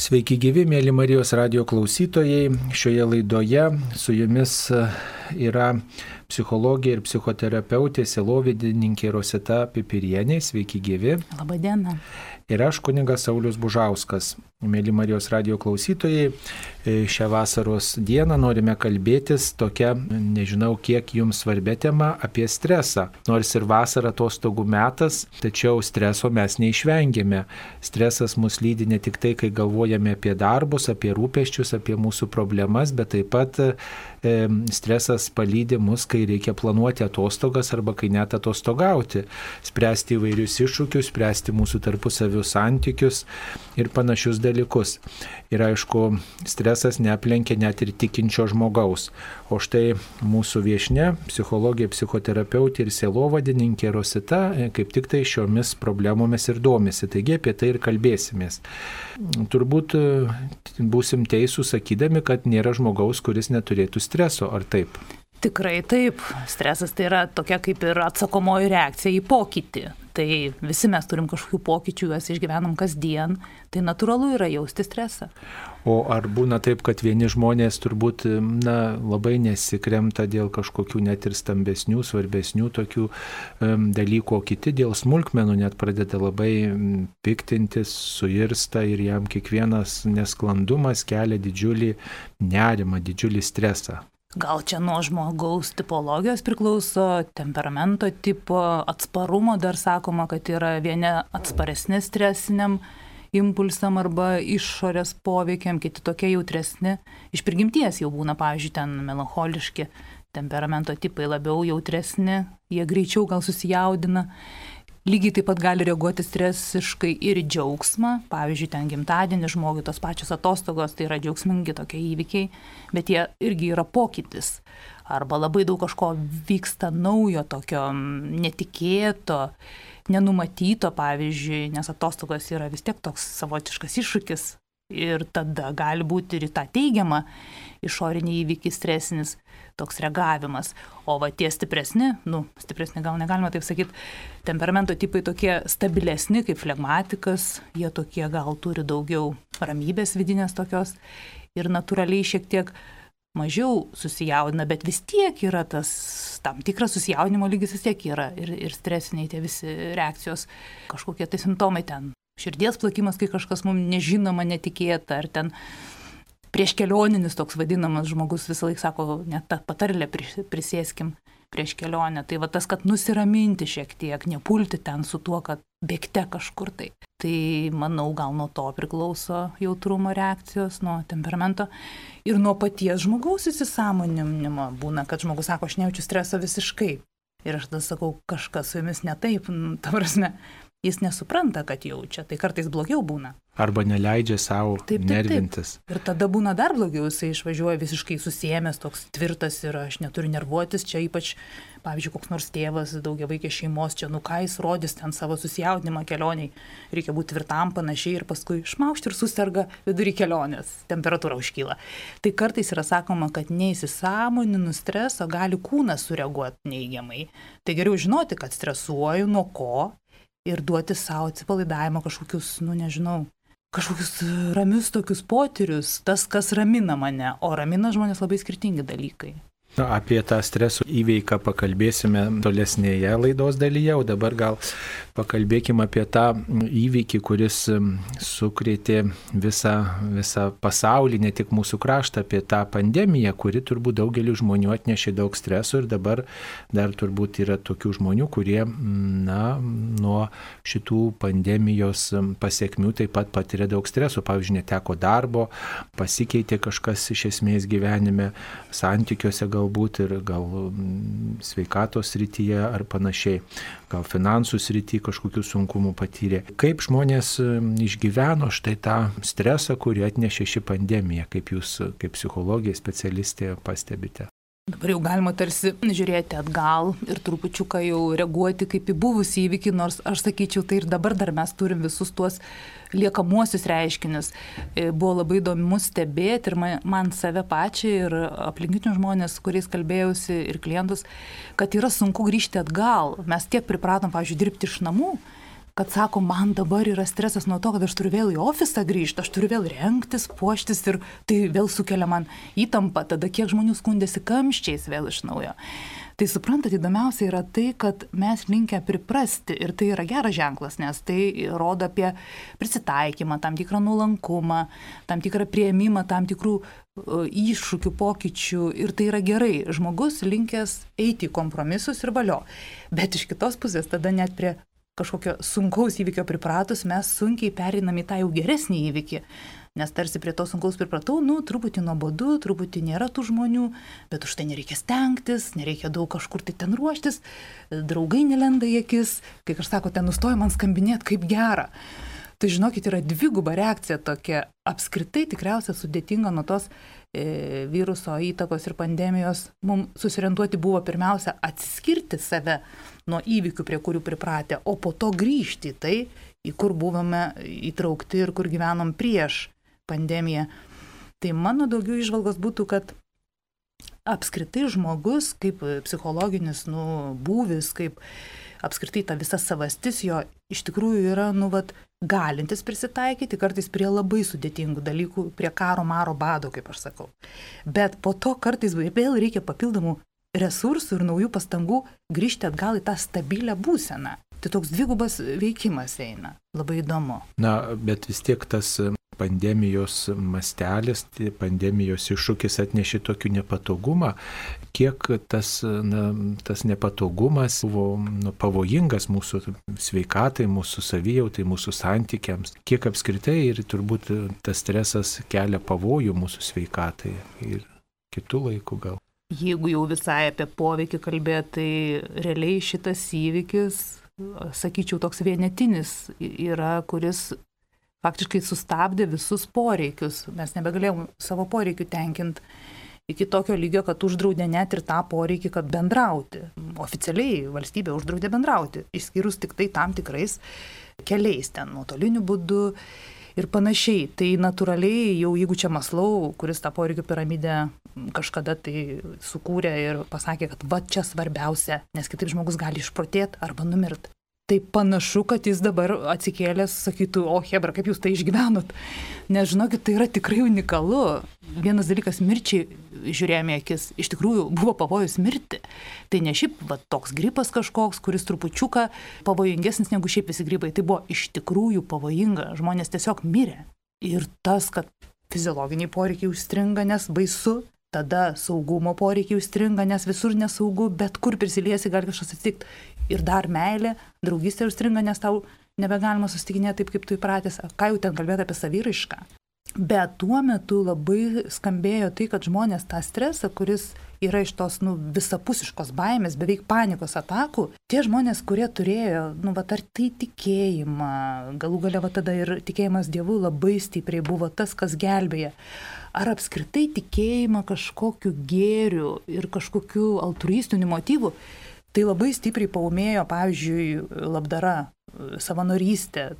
Sveiki gyvi, mėly Marijos radijo klausytojai. Šioje laidoje su jumis yra psichologė ir psichoterapeutė, sielovadininkė Rosita Pipirienė. Sveiki gyvi. Labą dieną. Ir aš kunigas Saulius Bužauskas. Mėly Marijos radijo klausytojai, šią vasaros dieną norime kalbėtis tokia, nežinau kiek jums svarbia tema, apie stresą. Nors ir vasara atostogų metas, tačiau streso mes neišvengiame. Stresas mus lydi ne tik tai, kai galvojame apie darbus, apie rūpesčius, apie mūsų problemas, bet taip pat stresas palydi mus, kai reikia planuoti atostogas arba kai net atostogauti, spręsti įvairius iššūkius, spręsti mūsų tarpusavio santykius ir panašius dalykus. Ir aišku, stresas neaplenkia net ir tikinčio žmogaus. O štai mūsų viešnia, psichologė, psichoterapeutė ir sielovadininkė Rosita kaip tik tai šiomis problemomis ir domisi. Taigi apie tai ir kalbėsimės. Turbūt būsim teisūs sakydami, kad nėra žmogaus, kuris neturėtų streso, ar taip? Tikrai taip. Stresas tai yra tokia kaip ir atsakomoji reakcija į pokytį. Tai visi mes turim kažkokių pokyčių, juos išgyvenam kasdien, tai natūralu yra jausti stresą. O ar būna taip, kad vieni žmonės turbūt labai nesikremta dėl kažkokių net ir stambesnių, svarbesnių tokių dalykų, o kiti dėl smulkmenų net pradeda labai piktintis, suirsta ir jam kiekvienas nesklandumas kelia didžiulį nerimą, didžiulį stresą. Gal čia nuo žmogaus tipologijos priklauso, temperamento tipo, atsparumo, dar sakoma, kad yra vieni atsparesni stresiniam impulsam arba išorės poveikiam, kiti tokie jautresni. Iš prigimties jau būna, pavyzdžiui, ten melancholiški temperamento tipai labiau jautresni, jie greičiau gal susijaudina. Lygiai taip pat gali reaguoti stresiškai ir į džiaugsmą. Pavyzdžiui, ten gimtadienį žmogui tos pačios atostogos, tai yra džiaugsmingi tokie įvykiai, bet jie irgi yra pokytis. Arba labai daug kažko vyksta naujo, tokio netikėto, nenumatyto, pavyzdžiui, nes atostogos yra vis tiek toks savotiškas iššūkis. Ir tada gali būti ir tą teigiamą išorinį įvykį stresinis toks reagavimas. O va tie stipresni gal negalima taip sakyti, temperamento tipai tokie stabilesni kaip flegmatikas, jie tokie gal turi daugiau ramybės vidinės tokios ir natūraliai šiek tiek mažiau susijaudina, bet vis tiek yra tas tam tikras susijaudinimo lygis vis tiek yra ir stresiniai tie visi reakcijos, kažkokie tai simptomai ten. Širdies plakimas, kai kažkas mums nežinoma, netikėta, ar ten prieš kelioninis toks vadinamas žmogus visą laiką sako, net tą patarlę prisėskim prieš kelionę. Tai va tas, kad nusiraminti šiek tiek, nepulti ten su tuo, kad bėgte kažkur tai. Tai manau, gal nuo to priklauso jautrumo reakcijos, nuo temperamento ir nuo paties žmogaus įsisąmoninimo. Būna, kad žmogus sako, aš nejaučiu streso visiškai. Ir aš tada sakau, kažkas su jumis ne taip, ta prasme. Jis nesupranta, kad jaučia, tai kartais blogiau būna. Arba neleidžia savo nervintis. Taip. Ir tada būna dar blogiau, jisai išvažiuoja visiškai susiėmęs, toks tvirtas ir aš neturiu nervuotis, čia ypač, pavyzdžiui, koks nors tėvas, daugiavaikės šeimos, čia ką jis rodys ten savo susijaudinimą kelioniai, reikia būti tvirtam panašiai ir paskui išmaušti ir suserga vidury kelionės, temperatūra užkyla. Tai kartais yra sakoma, kad neįsisąmoninus streso gali kūnas sureaguoti neigiamai. Tai geriau žinoti, kad stresuoju, nuo ko. Ir duoti savo atsipalaidavimą kažkokius, kažkokius ramius tokius potyrius, tas, kas ramina mane, o ramina žmonės labai skirtingi dalykai. Apie tą streso įveiką pakalbėsime tolesnėje laidos dalyje, o dabar gal pakalbėkime apie tą įvykį, kuris sukrėtė visą pasaulį, ne tik mūsų kraštą, apie tą pandemiją, kuri turbūt daugeliu žmonių atnešė daug streso ir dabar dar turbūt yra tokių žmonių, kurie nuo šitų pandemijos pasiekmių taip pat patiria daug streso. Pavyzdžiui, neteko darbo, pasikeitė kažkas iš esmės gyvenime, santykiuose galbūt ir gal sveikatos srityje ar panašiai, gal finansų srityje kažkokių sunkumų patyrė. Kaip žmonės išgyveno štai tą stresą, kurį atnešė ši pandemija, kaip jūs, kaip psichologija, specialistė pastebite? Dabar jau galima tarsi žiūrėti atgal ir trupučiuką jau reaguoti kaip į buvusį įvykį, nors aš sakyčiau, tai ir dabar dar mes turim visus tuos liekamuosius reiškinius. Buvo labai įdomu stebėti ir man save pačiai ir aplinkinius žmonės, su kuriais kalbėjausi ir klientus, kad yra sunku grįžti atgal. Mes tiek pripratom, pavyzdžiui, dirbti iš namų, kad sako, man dabar yra stresas nuo to, kad aš turiu vėl į ofisą grįžti, aš turiu vėl rengtis, puoštis ir tai vėl sukelia man įtampą, tada kiek žmonių skundėsi kamščiais vėl iš naujo. Tai suprantat, įdomiausia yra tai, kad mes linkę priprasti ir tai yra geras ženklas, nes tai rodo apie prisitaikymą, tam tikrą nuolankumą, tam tikrą priėmimą, tam tikrų iššūkių, pokyčių ir tai yra gerai. Žmogus linkęs eiti į kompromisus ir valio. Bet iš kitos pusės tada net prie kažkokio sunkaus įvykio pripratus mes sunkiai pereinam į tą jau geresnį įvykį. Nes tarsi prie to sunkaus pripratau, truputį nuobodu, truputį nėra tų žmonių, bet už tai nereikia stengtis, nereikia daug kažkur tai ten ruoštis, draugai nelenda į akis, kai kažkas sako, ten nustoja man skambinėti, kaip gera. Tai žinokit, yra dviguba reakcija tokia, apskritai tikriausiai sudėtinga nuo tos viruso įtakos ir pandemijos. Mums susiorientuoti buvo pirmiausia atsiskirti save nuo įvykių, prie kurių pripratę, o po to grįžti į tai, į kur buvome įtraukti ir kur gyvenom prieš pandemiją. Tai mano daugiau įžvalgos būtų, kad apskritai žmogus kaip psichologinis būvis, kaip apskritai ta visa savastis jo iš tikrųjų yra galintis prisitaikyti kartais prie labai sudėtingų dalykų, prie karo, maro, bado, kaip aš sakau. Bet po to kartais vėl reikia papildomų resursų ir naujų pastangų grįžti atgal į tą stabilią būseną. Tai toks dvigubas veikimas eina. Labai įdomu. Bet vis tiek tas pandemijos mastelis, pandemijos iššūkis atnešė tokių nepatogumą, kiek tas nepatogumas buvo pavojingas mūsų sveikatai, mūsų savijautai, mūsų santykiams, kiek apskritai ir turbūt tas stresas kelia pavojų mūsų sveikatai ir kitų laikų gal. Jeigu jau visai apie poveikį kalbėti, tai realiai šitas įvykis, sakyčiau, toks vienetinis yra, kuris faktiškai sustabdė visus poreikius. Mes nebegalėjom savo poreikių tenkinti iki tokio lygio, kad uždraudė net ir tą poreikį, kad bendrauti. Oficialiai valstybė uždraudė bendrauti, išskyrus tik tai tam tikrais keliais, ten nuotoliniu būdu ir panašiai. Tai natūraliai jau jeigu čia Maslau, kuris tą poreikių piramidę kažkada tai sukūrė ir pasakė, kad va čia svarbiausia, nes kitaip žmogus gali išprotėti arba numirti. Tai panašu, kad jis dabar atsikėlęs sakytų, o hebra, kaip jūs tai išgyvenot. Nes žinokit, tai yra tikrai unikalu. Vienas dalykas mirčiai žiūrėjome akis, iš tikrųjų buvo pavojus mirti. Tai ne šiaip toks gripas kažkoks, kuris trupučiuką pavojingesnis negu šiaip visi grybai. Tai buvo iš tikrųjų pavojinga. Žmonės tiesiog mirė. Ir tas, kad fiziologiniai poreikiai užstringa, nes baisu, tada saugumo poreikiai užstringa, nes visur nesaugu, bet kur prisiliesi gali kažkas atsitikti. Ir dar meilė, draugystė užstringa, nes tau nebegalima susitikinėti taip, kaip tu įpratęs. Ką jau ten kalbėti apie saviraišką. Bet tuo metu labai skambėjo tai, kad žmonės tą stresą, kuris yra iš tos visapusiškos baimės, beveik panikos atakų, tie žmonės, kurie turėjo, ar tai tikėjimą, galų gale tada ir tikėjimas Dievu labai stipriai buvo tas, kas gelbėja. Ar apskritai tikėjimą kažkokiu gėriu ir kažkokiu altruistiniu motyvu, tai labai stipriai paūmėjo, pavyzdžiui, labdara, savanorystė.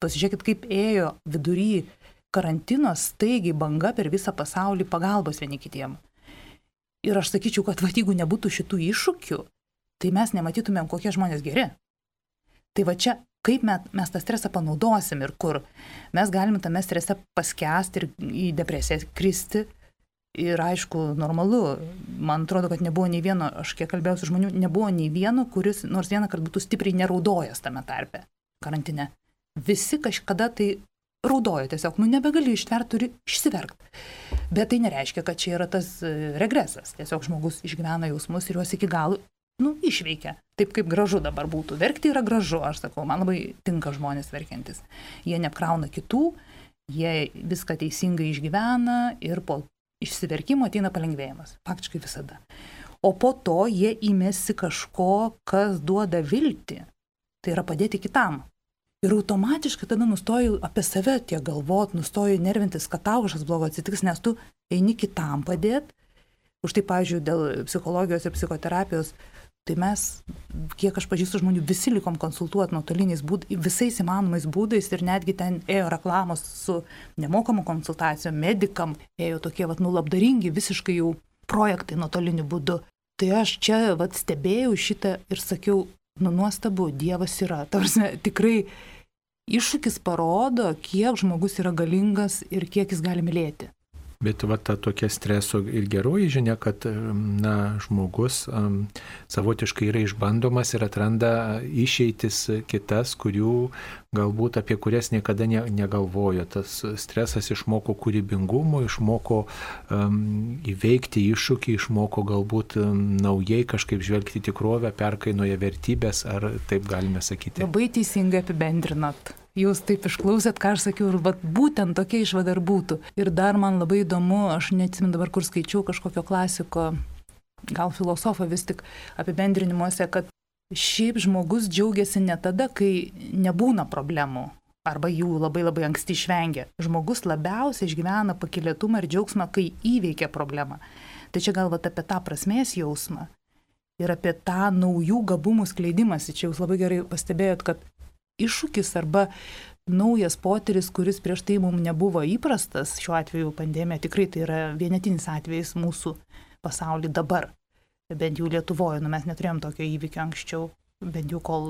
Pasižiūrėkit, kaip ėjo vidury karantino staigiai banga per visą pasaulį pagalbos vieni kitiem. Ir aš sakyčiau, kad jeigu nebūtų šitų iššūkių, tai mes nematytumėm, kokie žmonės geri. Tai čia, kaip mes tą stresą panaudosim ir kur. Mes galime tame strese paskęsti ir į depresiją kristi. Ir aišku, normalu, man atrodo, kad nebuvo nei vieno, aš kiek kalbėjau su žmonių, nebuvo nei vieno, kuris nors vieną kartą būtų stipriai neraudojęs tame tarpe karantine. Visi kažkada tai raudojo tiesiog, nebegali ištverti, turi išsiverkti. Bet tai nereiškia, kad čia yra tas regresas. Tiesiog žmogus išgyvena jausmus ir juos iki galo, išveikia. Taip kaip gražu dabar būtų. Verkti yra gražu, aš sakau, man labai tinka žmonės verkiantis. Jie neapkrauna kitų, jie viską teisingai išgyvena ir po išsiverkimo ateina palengvėjimas. Faktiškai visada. O po to jie įmėsi kažko, kas duoda viltį. Tai yra padėti kitam. Ir automatiškai tada nustoji apie save tiek galvot, nustoji nervintis, kad tau kažkas blogo atsitiks, nes tu eini kitam padėti. Už tai, pavyzdžiui, dėl psichologijos ir psichoterapijos, tai mes, kiek aš pažįstu žmonių, visi likom konsultuoti nuotoliniais būdais, visais įmanomais būdais ir netgi ten ėjo reklamos su nemokamų konsultacijom, medikam, ėjo tokie labdaringi visiškai jau projektai nuotoliniu būdu. Tai aš čia stebėjau šitą ir sakiau, nuostabu, Dievas yra. Tarsi tikrai iššūkis parodo, kiek žmogus yra galingas ir kiek jis gali mylėti. Bet va ta tokia streso ir geroji žinia, kad žmogus savotiškai yra išbandomas ir atranda išeitis kitas, apie kurias niekada negalvojo. Tas stresas išmoko kūrybingumo, išmoko įveikti iššūkį, išmoko galbūt naujai kažkaip žvelgti tikrovę, perkainoja vertybės, ar taip galime sakyti. Labai teisingai apibendrinat. Jūs taip išklausėt, ką aš sakiau, ir būtent tokia išvada ir būtų. Ir dar man labai įdomu, aš neatsimenu dabar, kur skaičiau kažkokio klasiko, gal filosofo vis tik apibendrinimuose, kad šiaip žmogus džiaugiasi ne tada, kai nebūna problemų, arba jų labai labai anksti išvengia. Žmogus labiausiai išgyvena pakylėtumą ir džiaugsmą, kai įveikia problemą. Tai čia galvot apie tą prasmės jausmą ir apie tą naujų gabumų skleidimąsi. Čia jūs labai gerai pastebėjot, kad iššūkis arba naujas potyris, kuris prieš tai mums nebuvo įprastas, šiuo atveju pandemija, tikrai tai yra vienetinis atvejis mūsų pasaulyje dabar, bent jau Lietuvoje, mes neturėjom tokio įvykio anksčiau, bent jau kol,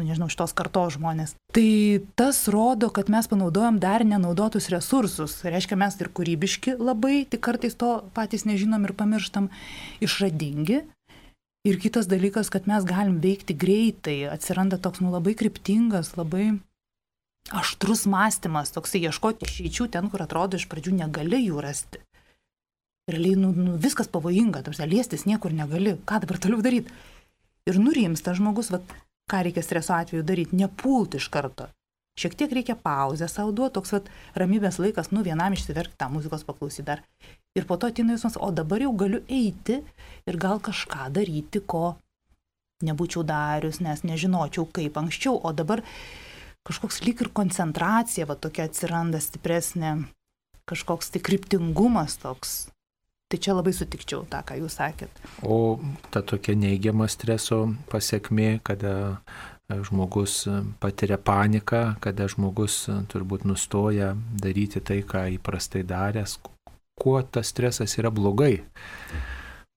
šitos kartos žmonės. Tai tas rodo, kad mes panaudojam dar nenaudotus resursus, reiškia mes ir kūrybiški labai, tik kartais to patys nežinom ir pamirštam, išradingi. Ir kitas dalykas, kad mes galim veikti greitai, atsiranda toks labai kryptingas, labai aštrus mąstymas, toksai ieškoti išeičių ten, kur atrodo iš pradžių negali jų rasti. Realiai viskas pavojinga, liestis niekur negali, ką dabar toliau daryti. Ir nurimsta žmogus, ką reikia streso atveju daryti, nepulti iš karto. Šiek tiek reikia pauzę savo duoti, toks ramybės laikas, vienam išsiverkti tą muzikos paklausyti dar. Ir po to ateina jausmas, o dabar jau galiu eiti ir gal kažką daryti, ko nebūčiau darius, nes nežinočiau kaip anksčiau. O dabar kažkoks lyg ir koncentracija, tokia atsiranda stipresnė, kažkoks tai kryptingumas toks. Tai čia labai sutikčiau tą, ką jūs sakėt. O ta tokia neigiama streso pasiekmė, kada žmogus patiria paniką, kada žmogus turbūt nustoja daryti tai, ką įprastai daręs, kuo tas stresas yra blogai?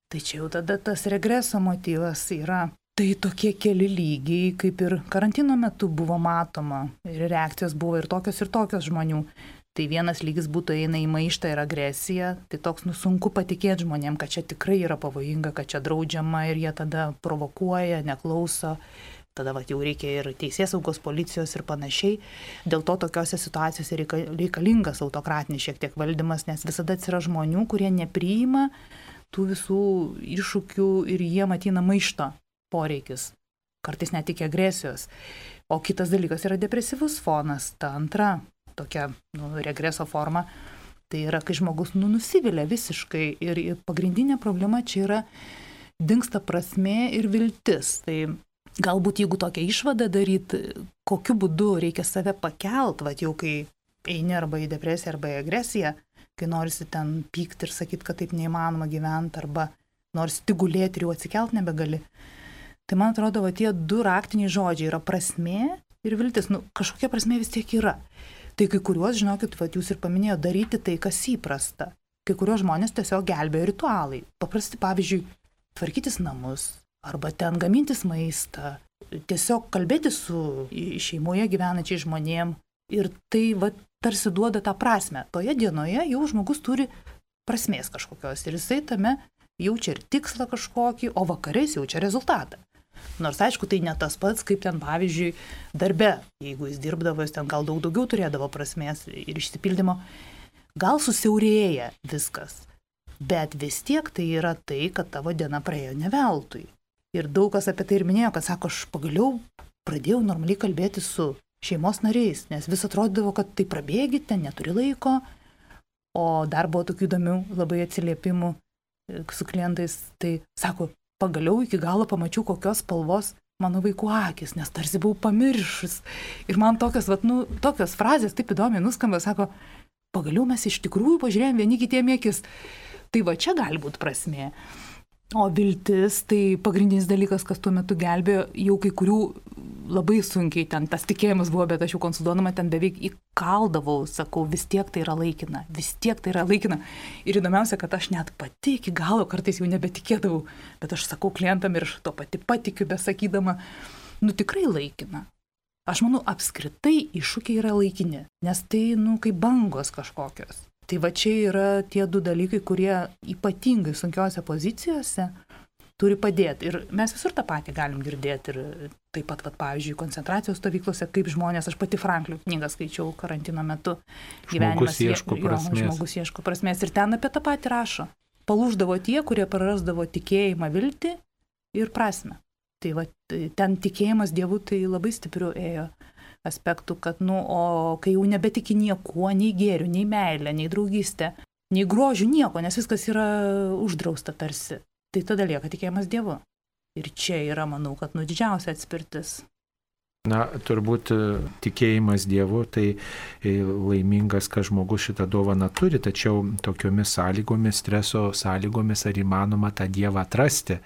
Tai čia jau tada tas regreso motyvas yra. Tai tokie keli lygiai, kaip ir karantino metu buvo matoma. Ir reakcijos buvo ir tokios žmonių. Tai vienas lygis būtų eina į maištą ir agresiją. Tai toks sunku patikėti žmonėm, kad čia tikrai yra pavojinga, kad čia draudžiama ir jie tada provokuoja, neklauso. Tada jau reikia ir teisėsaugos, policijos ir panašiai. Dėl to tokiose situacijose reikalingas autokratinis šiek tiek valdymas, nes visada atsira žmonių, kurie nepriima tų visų iššūkių ir jie matyna maišto poreikis. Kartais net tik agresijos. O kitas dalykas yra depresyvus fonas. Ta antra tokia regreso forma. Tai yra, kai žmogus nusivilia visiškai. Ir pagrindinė problema čia yra dingsta prasmė ir viltis. Tai galbūt jeigu tokią išvadą daryti, kokiu būdu reikia save pakelt, jau kai eini arba į depresiją, arba į agresiją, kai norisi ten pykti ir sakyti, kad taip neįmanoma gyventi, arba norisi tik gulėti ir jau atsikelt nebegali. Tai man atrodo, tie du raktiniai žodžiai yra prasmė ir viltis. Kažkokia prasmė vis tiek yra. Tai kai kuriuos, žinokit, jūs ir paminėjote, daryti tai, kas įprasta. Kai kuriuos žmonės tiesiog gelbėjo ritualai. Paprasti, pavyzdžiui, tvarkytis namus, arba ten gamintis maistą, tiesiog kalbėti su šeimoje gyvenančiai žmonėm ir tai tarsi duoda tą prasme. Toje dienoje jau žmogus turi prasmės kažkokios ir jisai tame jaučia ir tikslą kažkokį, o vakarais jaučia rezultatą. Nors aišku, tai ne tas pats, kaip ten pavyzdžiui darbe, jeigu jis dirbdavo, jis ten gal daug daugiau turėdavo prasmės ir išsipildymo, gal susiaurėja viskas, bet vis tiek tai yra tai, kad tavo diena praėjo ne veltui. Ir daug kas apie tai ir minėjo, kad sako, aš pagaliau pradėjau normaliai kalbėti su šeimos nariais, nes vis atrodydavo, kad tai prabėgi, ten neturi laiko, o dar buvo tokių įdomių labai atsiliepimų su klientais, tai sako, pagaliau iki galo pamačiau, kokios spalvos mano vaikų akis, nes tarsi buvau pamiršus. Ir man tokios frazės taip įdomiai nuskamba, sako, pagaliau mes iš tikrųjų pažiūrėjom vieni kitiem į akis. Tai čia gali būti prasmė. O viltis, tai pagrindinis dalykas, kas tuo metu gelbėjo, jau kai kurių labai sunkiai ten tas tikėjimas buvo, bet aš jau konsultuodama ten beveik įkaldavau, sakau, vis tiek tai yra laikina, vis tiek tai yra laikina. Ir įdomiausia, kad aš net pati iki galo kartais jau nebetikėdavau, bet aš sakau klientam ir aš to pati patikiu, besakydama, tikrai laikina. Aš manau, apskritai iššūkiai yra laikini, nes tai, kaip bangos kažkokios. Tai va čia yra tie du dalykai, kurie ypatingai sunkiose pozicijose turi padėti. Ir mes visur tą patį galim girdėti. Ir taip pat, pavyzdžiui, koncentracijos stovyklose, kaip žmonės, aš pati Franklio knygą skaičiau karantino metu. Žmogus ieško prasmės. Žmogus ieško prasmės. Ir ten apie tą patį rašo. Palūždavo tie, kurie prarasdavo tikėjimą, viltį ir prasmę. Tai va, ten tikėjimas Dievu tai labai stipriu ėjo aspektų, kad, o kai jau nebetiki niekuo, nei gėrių, nei meilę, nei draugystę, nei grožių, nieko, nes viskas yra uždrausta tarsi. Tai tada lieka tikėjimas Dievu. Ir čia yra, manau, kad didžiausia atspirtis. Na, turbūt tikėjimas Dievu, tai laimingas, kad žmogus šitą dovaną turi, tačiau tokiomis sąlygomis, streso sąlygomis, ar įmanoma tą Dievą atrasti.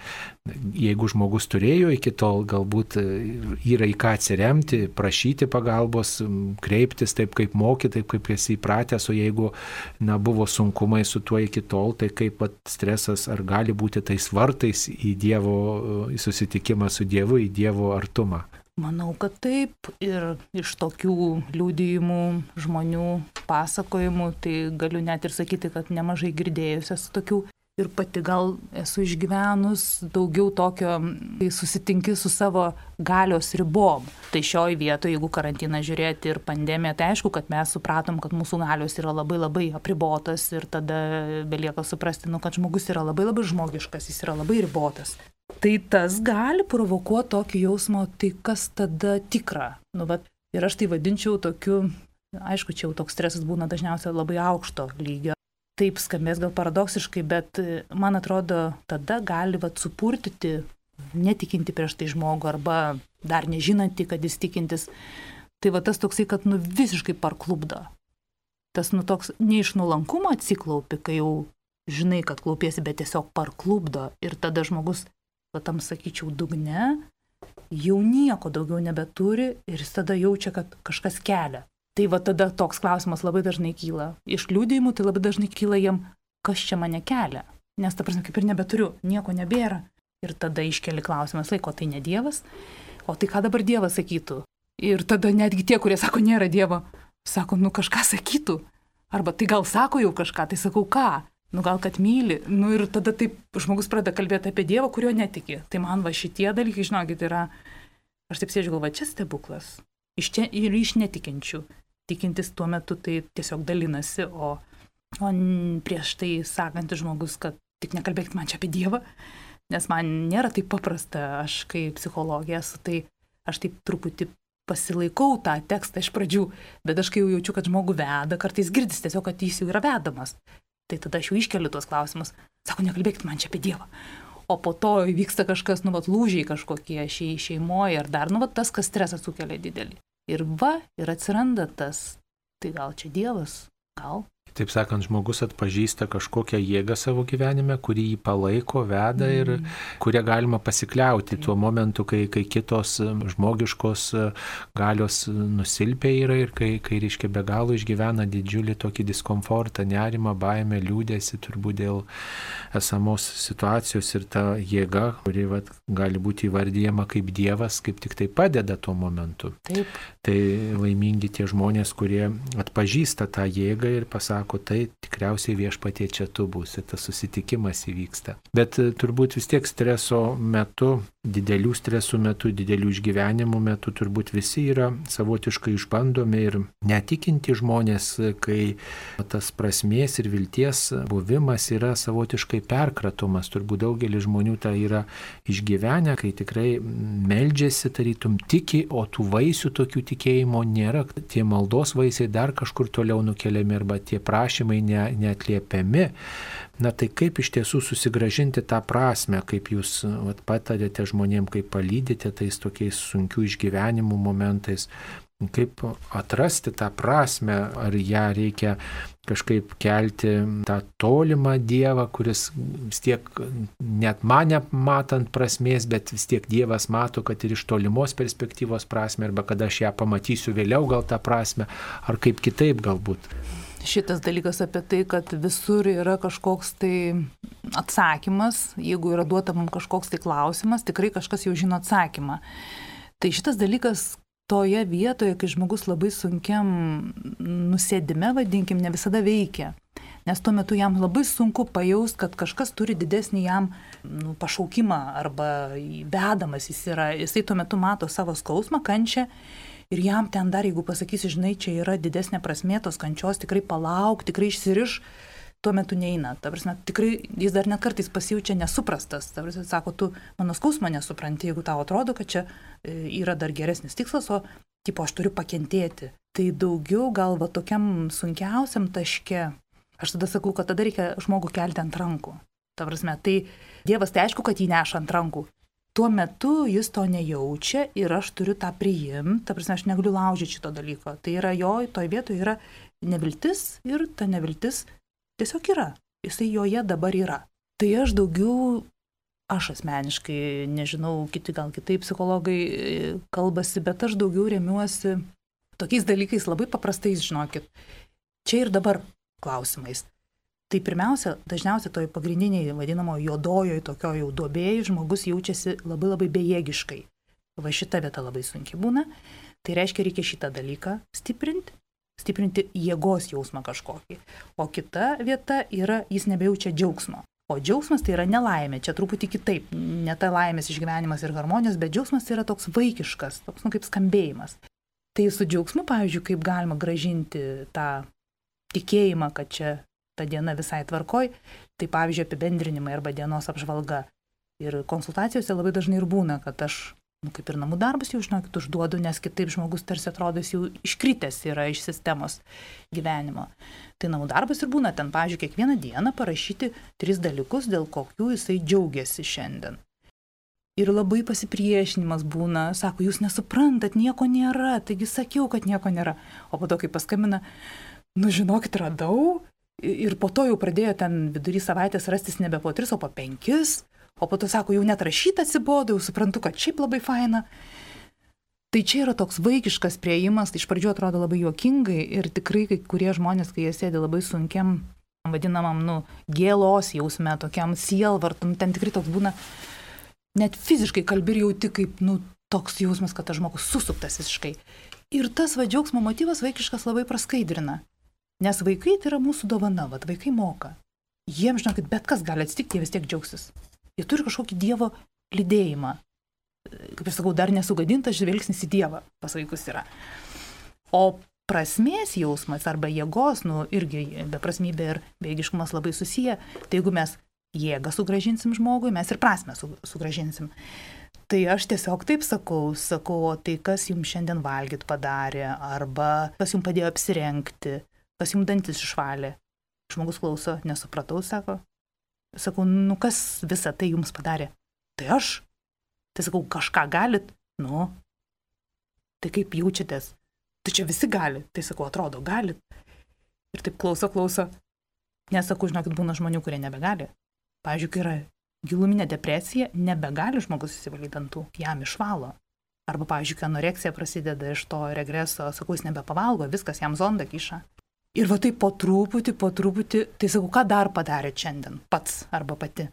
Jeigu žmogus turėjo iki tol, galbūt yra į ką atsiremti, prašyti pagalbos, kreiptis taip, kaip moki, taip, kaip esi įpratęs, o jeigu buvo sunkumai su tuo iki tol, tai kaip stresas ar gali būti tais vartais į Dievo, į susitikimą su Dievu, į Dievo artumą. Manau, kad taip, ir iš tokių liudijimų žmonių pasakojimų, tai galiu net ir sakyti, kad nemažai girdėjus esu tokių ir pati gal esu išgyvenus daugiau tokio, kai susitinki su savo galios ribom. Tai šioj vietoje, jeigu karantiną žiūrėti ir pandemiją, tai aišku, kad mes supratom, kad mūsų galios yra labai labai apribotas ir tada belieka suprasti, kad žmogus yra labai labai žmogiškas, jis yra labai ribotas. Tai tas gali provokuoti tokį jausmą, tai kas tada tikra. Ir aš tai vadinčiau tokiu, aišku, čia jau toks stresas būna dažniausiai labai aukšto lygio. Taip skambės gal paradoksiškai, bet man atrodo, tada gali supurtyti netikinti prieš tai žmogų arba dar nežinanti, kad jis tikintis. Tai tas toksai, kad visiškai parklubdo. Tas toks ne iš nuolankumo atsiklaupi, kai jau žinai, kad klaupiesi, bet tiesiog parklubdo. Ir tada žmogus, tam sakyčiau, dugne, jau nieko daugiau nebeturi ir jis tada jaučia, kad kažkas kelia. Tai tada toks klausimas labai dažnai kyla. Iš liudijimų tai labai dažnai kyla jiem, kas čia mane kelia. Nes ta prasme, kaip ir nebeturiu, nieko nebėra. Ir tada iškeli klausimas, o tai ne Dievas? O tai ką dabar Dievas sakytų? Ir tada netgi tie, kurie sako, nėra Dievo, sako, kažką sakytų. Arba tai gal sako jau kažką, tai sakau, ką? Gal kad myli. Ir tada taip žmogus pradeda kalbėti apie Dievą, kurio netiki. Tai man šitie dalykai, žinokit, yra, aš taip sėdžiu galvoju, čia stebuklas. Iš čia ir iš netikinčių. Tikintis tuo metu tai tiesiog dalinasi, o prieš tai sakantis žmogus, kad tik nekalbėkit man čia apie Dievą, nes man nėra taip paprasta, aš kaip psichologija esu, tai aš taip truputį pasilaikau tą tekstą iš pradžių, bet aš kai jau jaučiu, kad žmogų veda, kartais girdis tiesiog, kad jis jau yra vedamas. Tai tada aš jau iškeliu tuos klausimus. Sako, nekalbėkit man čia apie Dievą. O po to vyksta kažkas, lūžiai kažkokie šeimoje ar dar, tas, kas stresą sukelia didelį. Ir atsiranda tas, tai gal čia Dievas, gal. Taip sakant, žmogus atpažįsta kažkokią jėgą savo gyvenime, kuri jį palaiko, veda ir kurią galima pasikliauti tuo momentu, kai kitos žmogiškos galios nusilpia yra ir kai reiškia be galo išgyvena didžiulį tokį diskomfortą, nerimą, baimę, liūdesį turbūt dėl esamos situacijos ir ta jėga, kuri gali būti įvardyjama kaip Dievas, kaip tik tai padeda tuo momentu. Taip. Tai laimingi tie žmonės, kurie atpažįsta tą jėgą ir pasako, tai tikriausiai Viešpatie čia tu būsi, tas susitikimas įvyksta. Bet turbūt vis tiek streso metu, didelių stresų metu, didelių išgyvenimų metu turbūt visi yra savotiškai išbandomi ir netikinti žmonės, kai tas prasmės ir vilties buvimas yra savotiškai perkratomas. Turbūt daugelis žmonių tą yra išgyvenę, kai tikrai meldžiasi, tarytum tiki, o tų vaisių tokių tikėjimo nėra. Tie maldos vaisiai dar kažkur toliau nukeliami arba tie prašymai neatliepiami. Na tai kaip iš tiesų susigrąžinti tą prasme, kaip jūs patarėte žmonėms, kaip palydite tais tokiais sunkių išgyvenimų momentais, kaip atrasti tą prasme, ar ją reikia kažkaip kelti tą tolimą Dievą, kuris vis tiek net mane matant prasmės, bet vis tiek Dievas mato, kad ir iš tolimos perspektyvos prasme, arba kada aš ją pamatysiu vėliau gal tą prasme, ar kaip kitaip galbūt. Šitas dalykas apie tai, kad visur yra kažkoks tai atsakymas, jeigu yra duota mums kažkoks tai klausimas, tikrai kažkas jau žino atsakymą. Tai šitas dalykas toje vietoje, kai žmogus labai sunkiam nusėdime, vadinkim, ne visada veikia. Nes tuo metu jam labai sunku pajaust, kad kažkas turi didesnį jam pašaukimą arba vedamas jis yra. Jisai tuo metu mato savo skausmą, kančią ir jam ten dar, jeigu pasakysi, žinai, čia yra didesnė prasmė tos kančios, tikrai palauk, tikrai išsiriš, tuo metu neina. Ta prasme, tikrai jis dar net kartais pasijaučia nesuprastas. Ta prasme, sako, tu mano skausmą nesupranti, jeigu tau atrodo, kad čia yra dar geresnis tikslas, o tipo aš turiu pakentėti. Tai daugiau gal va tokiam sunkiausiam taške. Aš tada sakau, kad tada reikia žmogų kelti ant rankų. Ta prasme, tai Dievas tai aišku, kad jį neša ant rankų. Tuo metu jis to nejaučia ir aš turiu tą priimti, ta prasme, aš negaliu laužyti šito dalyko. Tai yra jo, toj vietoje yra neviltis ir ta neviltis tiesiog yra. Jisai joje dabar yra. Tai aš daugiau, aš asmeniškai, nežinau, kiti gal kitaip psichologai kalbasi, bet aš daugiau remiuosi tokiais dalykais labai paprastais, žinokit, čia ir dabar klausimais. Tai pirmiausia, dažniausiai toj pagrindiniai vadinamo juodojoj tokio jau duobėjai žmogus jaučiasi labai labai bejėgiškai. Va šita vieta labai sunkiai būna. Tai reiškia, reikia šitą dalyką stiprinti jėgos jausmą kažkokį. O kita vieta yra, jis nebejaučia džiaugsmo. O džiaugsmas tai yra nelaimė, čia truputį kitaip. Ne ta laimės išgyvenimas ir harmonijos, bet džiaugsmas tai yra toks vaikiškas, toks kaip skambėjimas. Tai su džiaugsmu, pavyzdžiui, kaip galima gražinti tą tikėjimą, kad čia ta diena visai tvarkoj, tai pavyzdžiui apibendrinimai arba dienos apžvalga. Ir konsultacijose labai dažnai ir būna, kad aš, kaip ir namų darbus jau žinokit, užduodu, nes kitaip žmogus tarsi atrodo, jis jau iškritęs yra iš sistemos gyvenimo. Tai namų darbas ir būna ten, pavyzdžiui, kiekvieną dieną parašyti 3 dalykus, dėl kokių jisai džiaugiasi šiandien. Ir labai pasipriešinimas būna, sako, jūs nesuprantat, nieko nėra, taigi sakiau, kad nieko nėra. O po to, kai paskambina, žinokit, radau. Ir po to jau pradėjo ten vidury savaitės rastis nebe po 3, o po 5. O po to sako, jau net rašyt atsibodo, jau suprantu, kad šiaip labai faina. Tai čia yra toks vaikiškas priėjimas, tai iš pradžių atrodo labai juokingai ir tikrai kai kurie žmonės, kai jie sėdi labai sunkiam, vadinamam, gėlos jausme, tokiam sielvartam, ten tikrai toks būna, net fiziškai kalbi ir jauti kaip, toks jausmas, kad tas žmogus susuktas visiškai. Ir tas džiaugsmo motyvas vaikiškas labai praskaidrina. Nes vaikai tai yra mūsų dovana, vaikai moka. Jiems, žinokit, bet kas gali atsitikti, jie vis tiek džiaugsis. Jie turi kažkokį Dievo lydėjimą. Kaip aš sakau, dar nesugadintas žvilgsnis į Dievą pas vaikus yra. O prasmės jausmas arba jėgos, irgi beprasmybė ir bejėgiškumas labai susiję. Tai jeigu mes jėgą sugrąžinsim žmogui, mes ir prasmę sugrąžinsim. Tai aš tiesiog taip sakau, o tai kas jums šiandien valgyt padarė, arba kas jums padėjo apsirengti, kas jums dantis išvalė. Žmogus klauso, nesupratau, sako. Sakau, kas visą tai jums padarė? Tai aš. Tai sakau, kažką galit? Tai kaip jaučiatės? Tai čia visi gali. Tai sakau, atrodo, galit. Ir taip klauso. Nesakau, žinokit, būna žmonių, kurie nebegali. Pavyzdžiui, kai yra giluminė depresija, nebegali žmogus įsivalyti dantų, jam išvalo. Arba, pavyzdžiui, kai anoreksija prasideda iš to regreso, sakau, jis nebepavalgo, viskas jam zondą kiša. Ir va taip po truputį, tai sakau, ką dar padarėt šiandien, pats arba pati?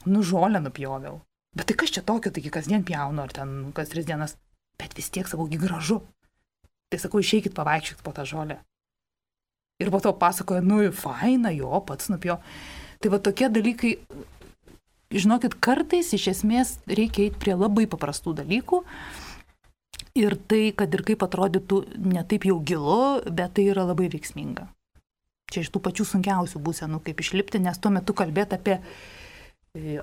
Žolę nupjoviau. Bet tai kas čia tokio, taigi kasdien pjaunu, ar ten kas 3 dienas. Bet vis tiek, sakau, gražu. Tai sakau, išeikit pavaikščiot po tą žolę. Ir po to pasakoja, faina, jo, pats nupjo. Tai va tokie dalykai, žinokit, kartais iš esmės reikia eiti prie labai paprastų dalykų. Ir tai, kad ir kaip atrodytų ne taip jau gilu, bet tai yra labai veiksminga. Čia iš tų pačių sunkiausių būsenų, kaip išlipti, nes tuo metu kalbėti apie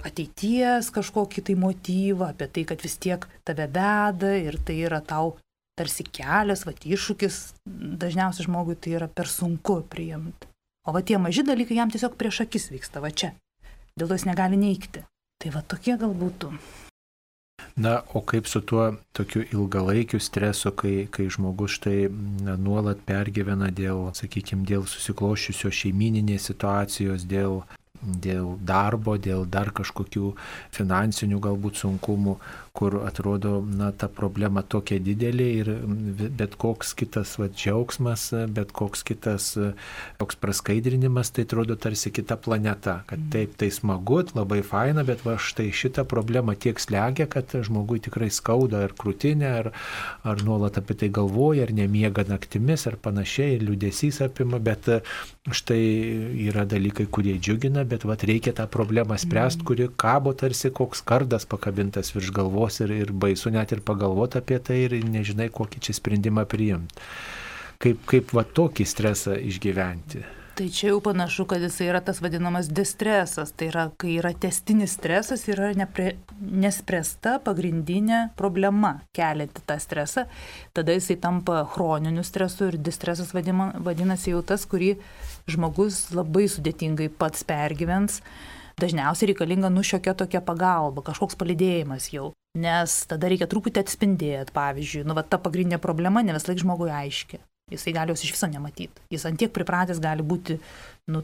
ateities kažkokį tai motyvą, apie tai, kad vis tiek tave veda ir tai yra tau tarsi kelias, iššūkis, dažniausiai žmogui tai yra per sunku priimti. O tie maži dalykai jam tiesiog prieš akis vyksta, čia. Dėl to jis negali neigti. Tai tokie gal būtų. Na, o kaip su tuo tokiu ilgalaikiu stresu, kai žmogus štai nuolat pergyvena dėl, sakykime, dėl susikloščiusios šeimininės situacijos, dėl darbo, dėl dar kažkokių finansinių galbūt sunkumų, kur atrodo, ta problema tokia didelė ir bet koks kitas džiaugsmas, bet koks kitas toks praskaidrinimas, tai atrodo tarsi kita planeta, kad taip, tai smagu, labai faina, bet va štai šitą problemą tiek slegia, kad žmogui tikrai skauda ar krūtinė, ar nuolat apie tai galvoja, ar nemiega naktimis, ar panašiai, ir liūdesys apima, bet štai yra dalykai, kurie džiugina, bet reikia tą problemą spręsti, kuri kabo tarsi koks kardas pakabintas virš galvos ir baisu net ir pagalvoti apie tai ir nežinai, kokį čia sprendimą priimti. Kaip tokį stresą išgyventi? Tai čia jau panašu, kad jis yra tas vadinamas distresas, tai yra, kai yra tęstinis stresas, yra nespręsta pagrindinė problema kelianti tą stresą, tada jisai tampa chroniniu stresu ir distresas vadinasi jau tas, kurį žmogus labai sudėtingai pats pergyvens. Dažniausiai reikalinga šiokia tokia pagalba, kažkoks palydėjimas jau, nes tada reikia truputį atspindėti, pavyzdžiui, ta pagrindinė problema ne vis laik žmogui aiški. Jisai gali jos iš viso nematyti. Jis antiek pripratęs gali būti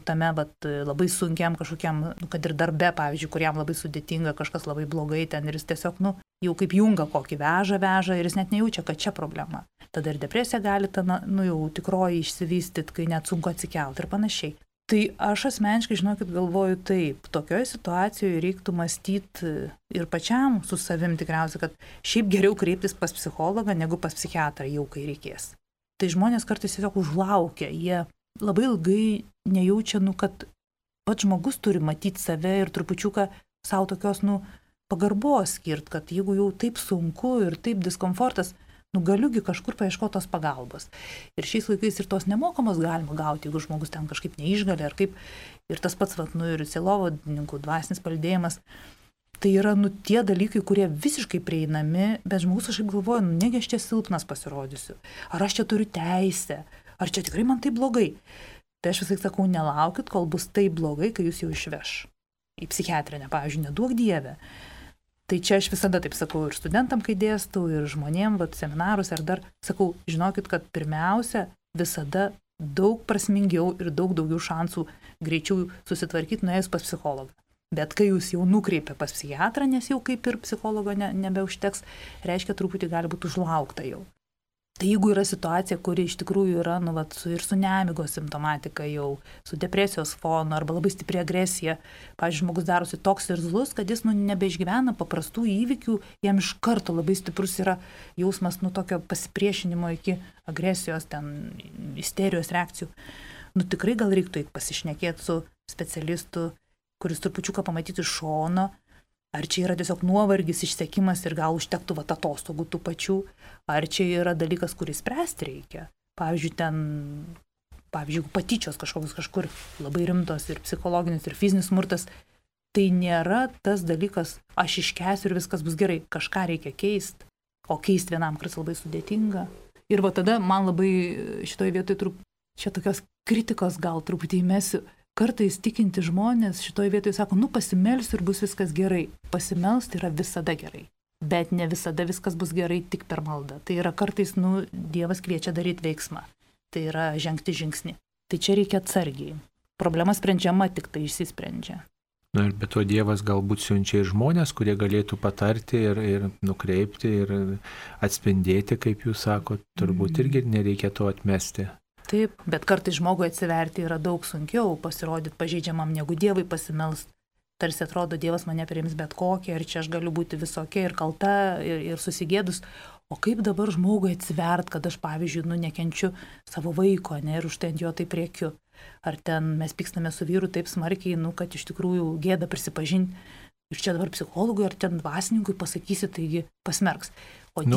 tame labai sunkiam kažkokiam, kad ir darbe, pavyzdžiui, kuriam labai sudėtinga, kažkas labai blogai ten ir jis tiesiog, jau kaip jungą kokį veža ir jis net nejaučia, kad čia problema. Tada ir depresija gali jau tikroji išsivystyti, kai net sunku atsikelti ir panašiai. Tai aš asmeniškai, žinokit, galvoju taip, tokioje situacijoje reiktų mąstyti ir pačiam su savim tikriausiai, kad šiaip geriau kreiptis pas psichologą negu pas psichiatrą jau kai reikės. Tai žmonės kartais tiesiog užlaukia, jie labai ilgai nejaučia, kad pats žmogus turi matyti save ir trupučiuką savo tokios, pagarbos skirt, kad jeigu jau taip sunku ir taip diskomfortas, galiugi kažkur paieškoti tos pagalbos. Ir šiais laikais ir tos nemokamos galima gauti, jeigu žmogus ten kažkaip neišgali ar kaip. Ir tas pats, ir sielovadininkų dvasinis palydėjimas. Tai yra, tie dalykai, kurie visiškai prieinami, bet žmogus kažkaip galvoja, negi aš čia silpnas pasirodysiu. Ar aš čia turiu teisę? Ar čia tikrai man taip blogai? Tai aš visai sakau, nelaukit, kol bus taip blogai, kai jūs jau išveš. Į psichiatrinę, pavyzdžiui, neduok Dieve. Tai čia aš visada taip sakau ir studentam, kai dėstau, ir žmonėm, seminarus, ar dar sakau, žinokit, kad pirmiausia visada daug prasmingiau ir daug daugiau šansų greičiau susitvarkyti nuėjus pas psichologą. Bet kai jūs jau nukreipia pas psichiatrą, nes jau kaip ir psichologo nebeužteks, reiškia truputį gali būti užlaukta jau. Tai jeigu yra situacija, kuri iš tikrųjų yra ir su nemigos simptomatika jau, su depresijos fonu arba labai stipri agresija, pavyzdžiui, žmogus darosi toks irzlus, kad jis nebeišgyvena paprastų įvykių, jam iš karto labai stiprus yra jausmas tokio pasipriešinimo iki agresijos, ten isterijos reakcijų. Tikrai gal reiktų eiti pasišnekėti su specialistu, kuris trupučiuką pamatyti iš šono, ar čia yra tiesiog nuovargis, išsekimas ir gal užtektų atostogų tų pačių, ar čia yra dalykas, kurį spręsti reikia. Pavyzdžiui, patyčios kažkur labai rimtos ir psichologinis ir fizinis smurtas, tai nėra tas dalykas, aš iškęsiu ir viskas bus gerai, kažką reikia keisti, o keisti vienam kartais labai sudėtinga. Ir tada man labai šitoje vietoje čia tokios kritikos gal truputį įmesiu. Kartais tikinti žmonės šitoje vietoje sako, pasimelsiu ir bus viskas gerai. Pasimelsti yra visada gerai, bet ne visada viskas bus gerai tik per maldą. Tai yra kartais, Dievas kviečia daryti veiksmą. Tai yra žengti žingsnį. Tai čia reikia atsargiai. Problema sprendžiama, tik tai išsisprendžia. Ir be to Dievas galbūt siunčia ir žmonės, kurie galėtų patarti ir nukreipti ir atspindėti, kaip jūs sakot, turbūt irgi nereikia to atmesti. Taip, bet kartais žmogui atsiverti yra daug sunkiau, pasirodyti pažeidžiamam negu Dievui pasimelst. Tarsi atrodo, Dievas mane priims bet kokią, ir čia aš galiu būti visokia ir kalta, ir susigėdus. O kaip dabar žmogui atsivert, kad aš, pavyzdžiui, nekenčiu savo vaiko, ir už tai ant jo taip rėkiu. Ar ten mes pykstame su vyru taip smarkiai, kad iš tikrųjų gėda prisipažinti. Ir čia dabar psichologui ar ten dvasininkui pasakysi, taigi pasmerks.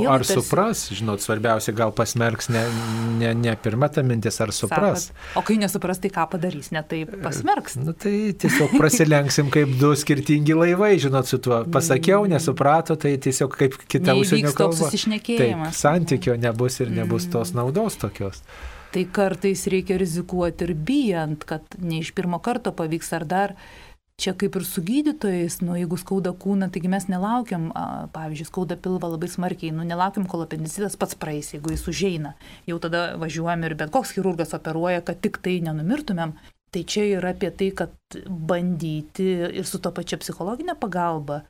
Ar supras, svarbiausia, gal pasmerks ne pirma ta mintis, ar supras. O kai nesupras, tai ką padarys, tai pasmerks. Tai tiesiog prasilenksim kaip du skirtingi laivai, su tuo. Pasakiau, nesuprato, tai tiesiog kaip kita užsienio kalba. Toks susišnekėjimas. Taip, santykio nebus ir nebus tos naudos tokios. Tai kartais reikia rizikuoti ir bijant, kad ne iš pirmo karto pavyks ar dar. Čia kaip ir su gydytojais, jeigu skauda kūną, taigi mes nelaukiam, pavyzdžiui, skauda pilvą labai smarkiai, nelaukiam, kol apendicitas pats praeis, jeigu jis užeina. Jau tada važiuojam ir bet koks chirurgas operuoja, kad tik tai nenumirtumėm. Tai čia yra apie tai, kad bandyti ir su to pačia psichologinė pagalba.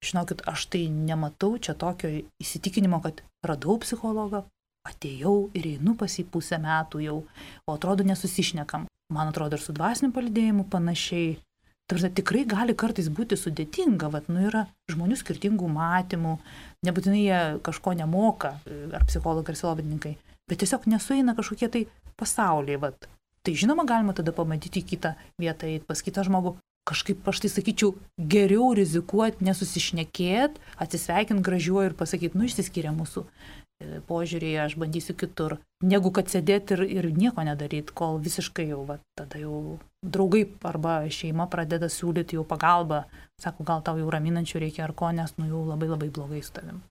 Žinokit, aš tai nematau čia tokio įsitikinimo, kad radau psichologą, atėjau ir einu pas jį pusę metų jau, o atrodo nesusišnekam. Man atrodo ir su dvasiniu palydėjimu panašiai. Tikrai gali kartais būti sudėtinga, yra žmonių skirtingų matymų, nebūtinai jie kažko nemoka, ar psichologai, ar sielovadininkai, bet tiesiog nesueina kažkokie tai pasauliai. Tai žinoma, galima tada pamatyti į kitą vietą, pas kitą žmogų. Kažkaip aš tai sakyčiau, geriau rizikuoti, nesusišnekėti, atsisveikinti gražiuoju ir pasakyti, išsiskiria mūsų požiūrėje, aš bandysiu kitur, negu kad sėdėti ir nieko nedaryti, kol visiškai jau, tada jau draugai arba šeima pradeda siūlyti jau pagalbą, sako, gal tau jau raminančių reikia ar ko, nes jau labai labai blogai su tavim.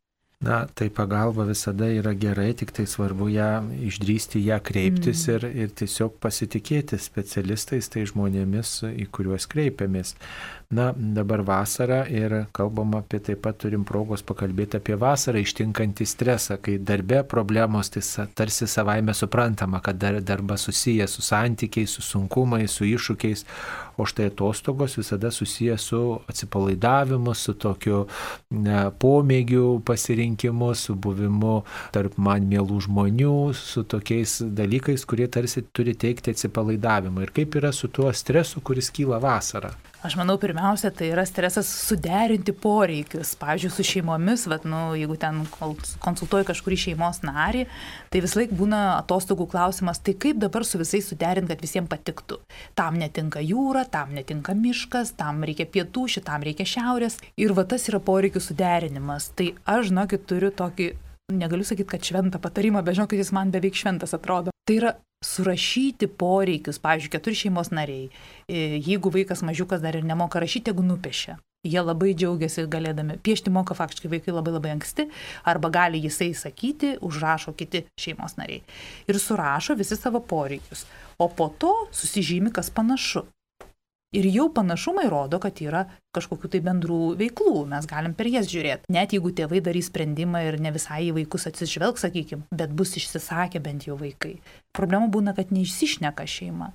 Na, tai pagalba visada yra gerai, tik tai svarbu išdrįsti ją kreiptis ir tiesiog pasitikėti specialistais, tai žmonėmis, į kuriuos kreipiamės. Na, dabar vasara ir kalbam apie, taip pat turim progos pakalbėti apie vasarą ištinkantį stresą, kai darbe problemos, tai tarsi savaime suprantama, kad darbas susijęs su santykiais, su sunkumais, su iššūkiais, o štai atostogos visada susijęs su atsipalaidavimu, su tokiu pomėgiu pasirinkimu, su buvimu tarp man mielų žmonių, su tokiais dalykais, kurie tarsi turi teikti atsipalaidavimą. Ir kaip yra su tuo stresu, kuris kyla vasarą? Aš manau, pirmiausia, tai yra stresas suderinti poreikius. Pavyzdžiui, su šeimomis, jeigu ten konsultuoji kažkurį šeimos narį, tai vis laik būna atostogų klausimas, tai kaip dabar su visais suderinti, kad visiems patiktų. Tam netinka jūra, tam netinka miškas, tam reikia pietų, šitam reikia šiaurės. Ir tas yra poreikių suderinimas. Tai aš, žinokit, turiu tokį, negaliu sakyti, kad šventą patarimą, bet žinokit, jis man beveik šventas atrodo. Tai yra surašyti poreikius, pavyzdžiui, 4 šeimos nariai. Jeigu vaikas mažiukas dar ir nemoka rašyti, jeigu nupiešia. Jie labai džiaugiasi galėdami. Piešti moka faktiškai vaikai labai labai anksti, arba gali jisai sakyti, užrašo kiti šeimos nariai. Ir surašo visi savo poreikius. O po to susižymi, kas panašu. Ir jau panašumai rodo, kad yra kažkokių tai bendrų veiklų, mes galim per jas žiūrėti. Net jeigu tėvai darys sprendimą ir ne visai į vaikus atsižvelgs, sakykim, bet bus išsisakę bent jau vaikai. Problema būna, kad neišsišneka šeima.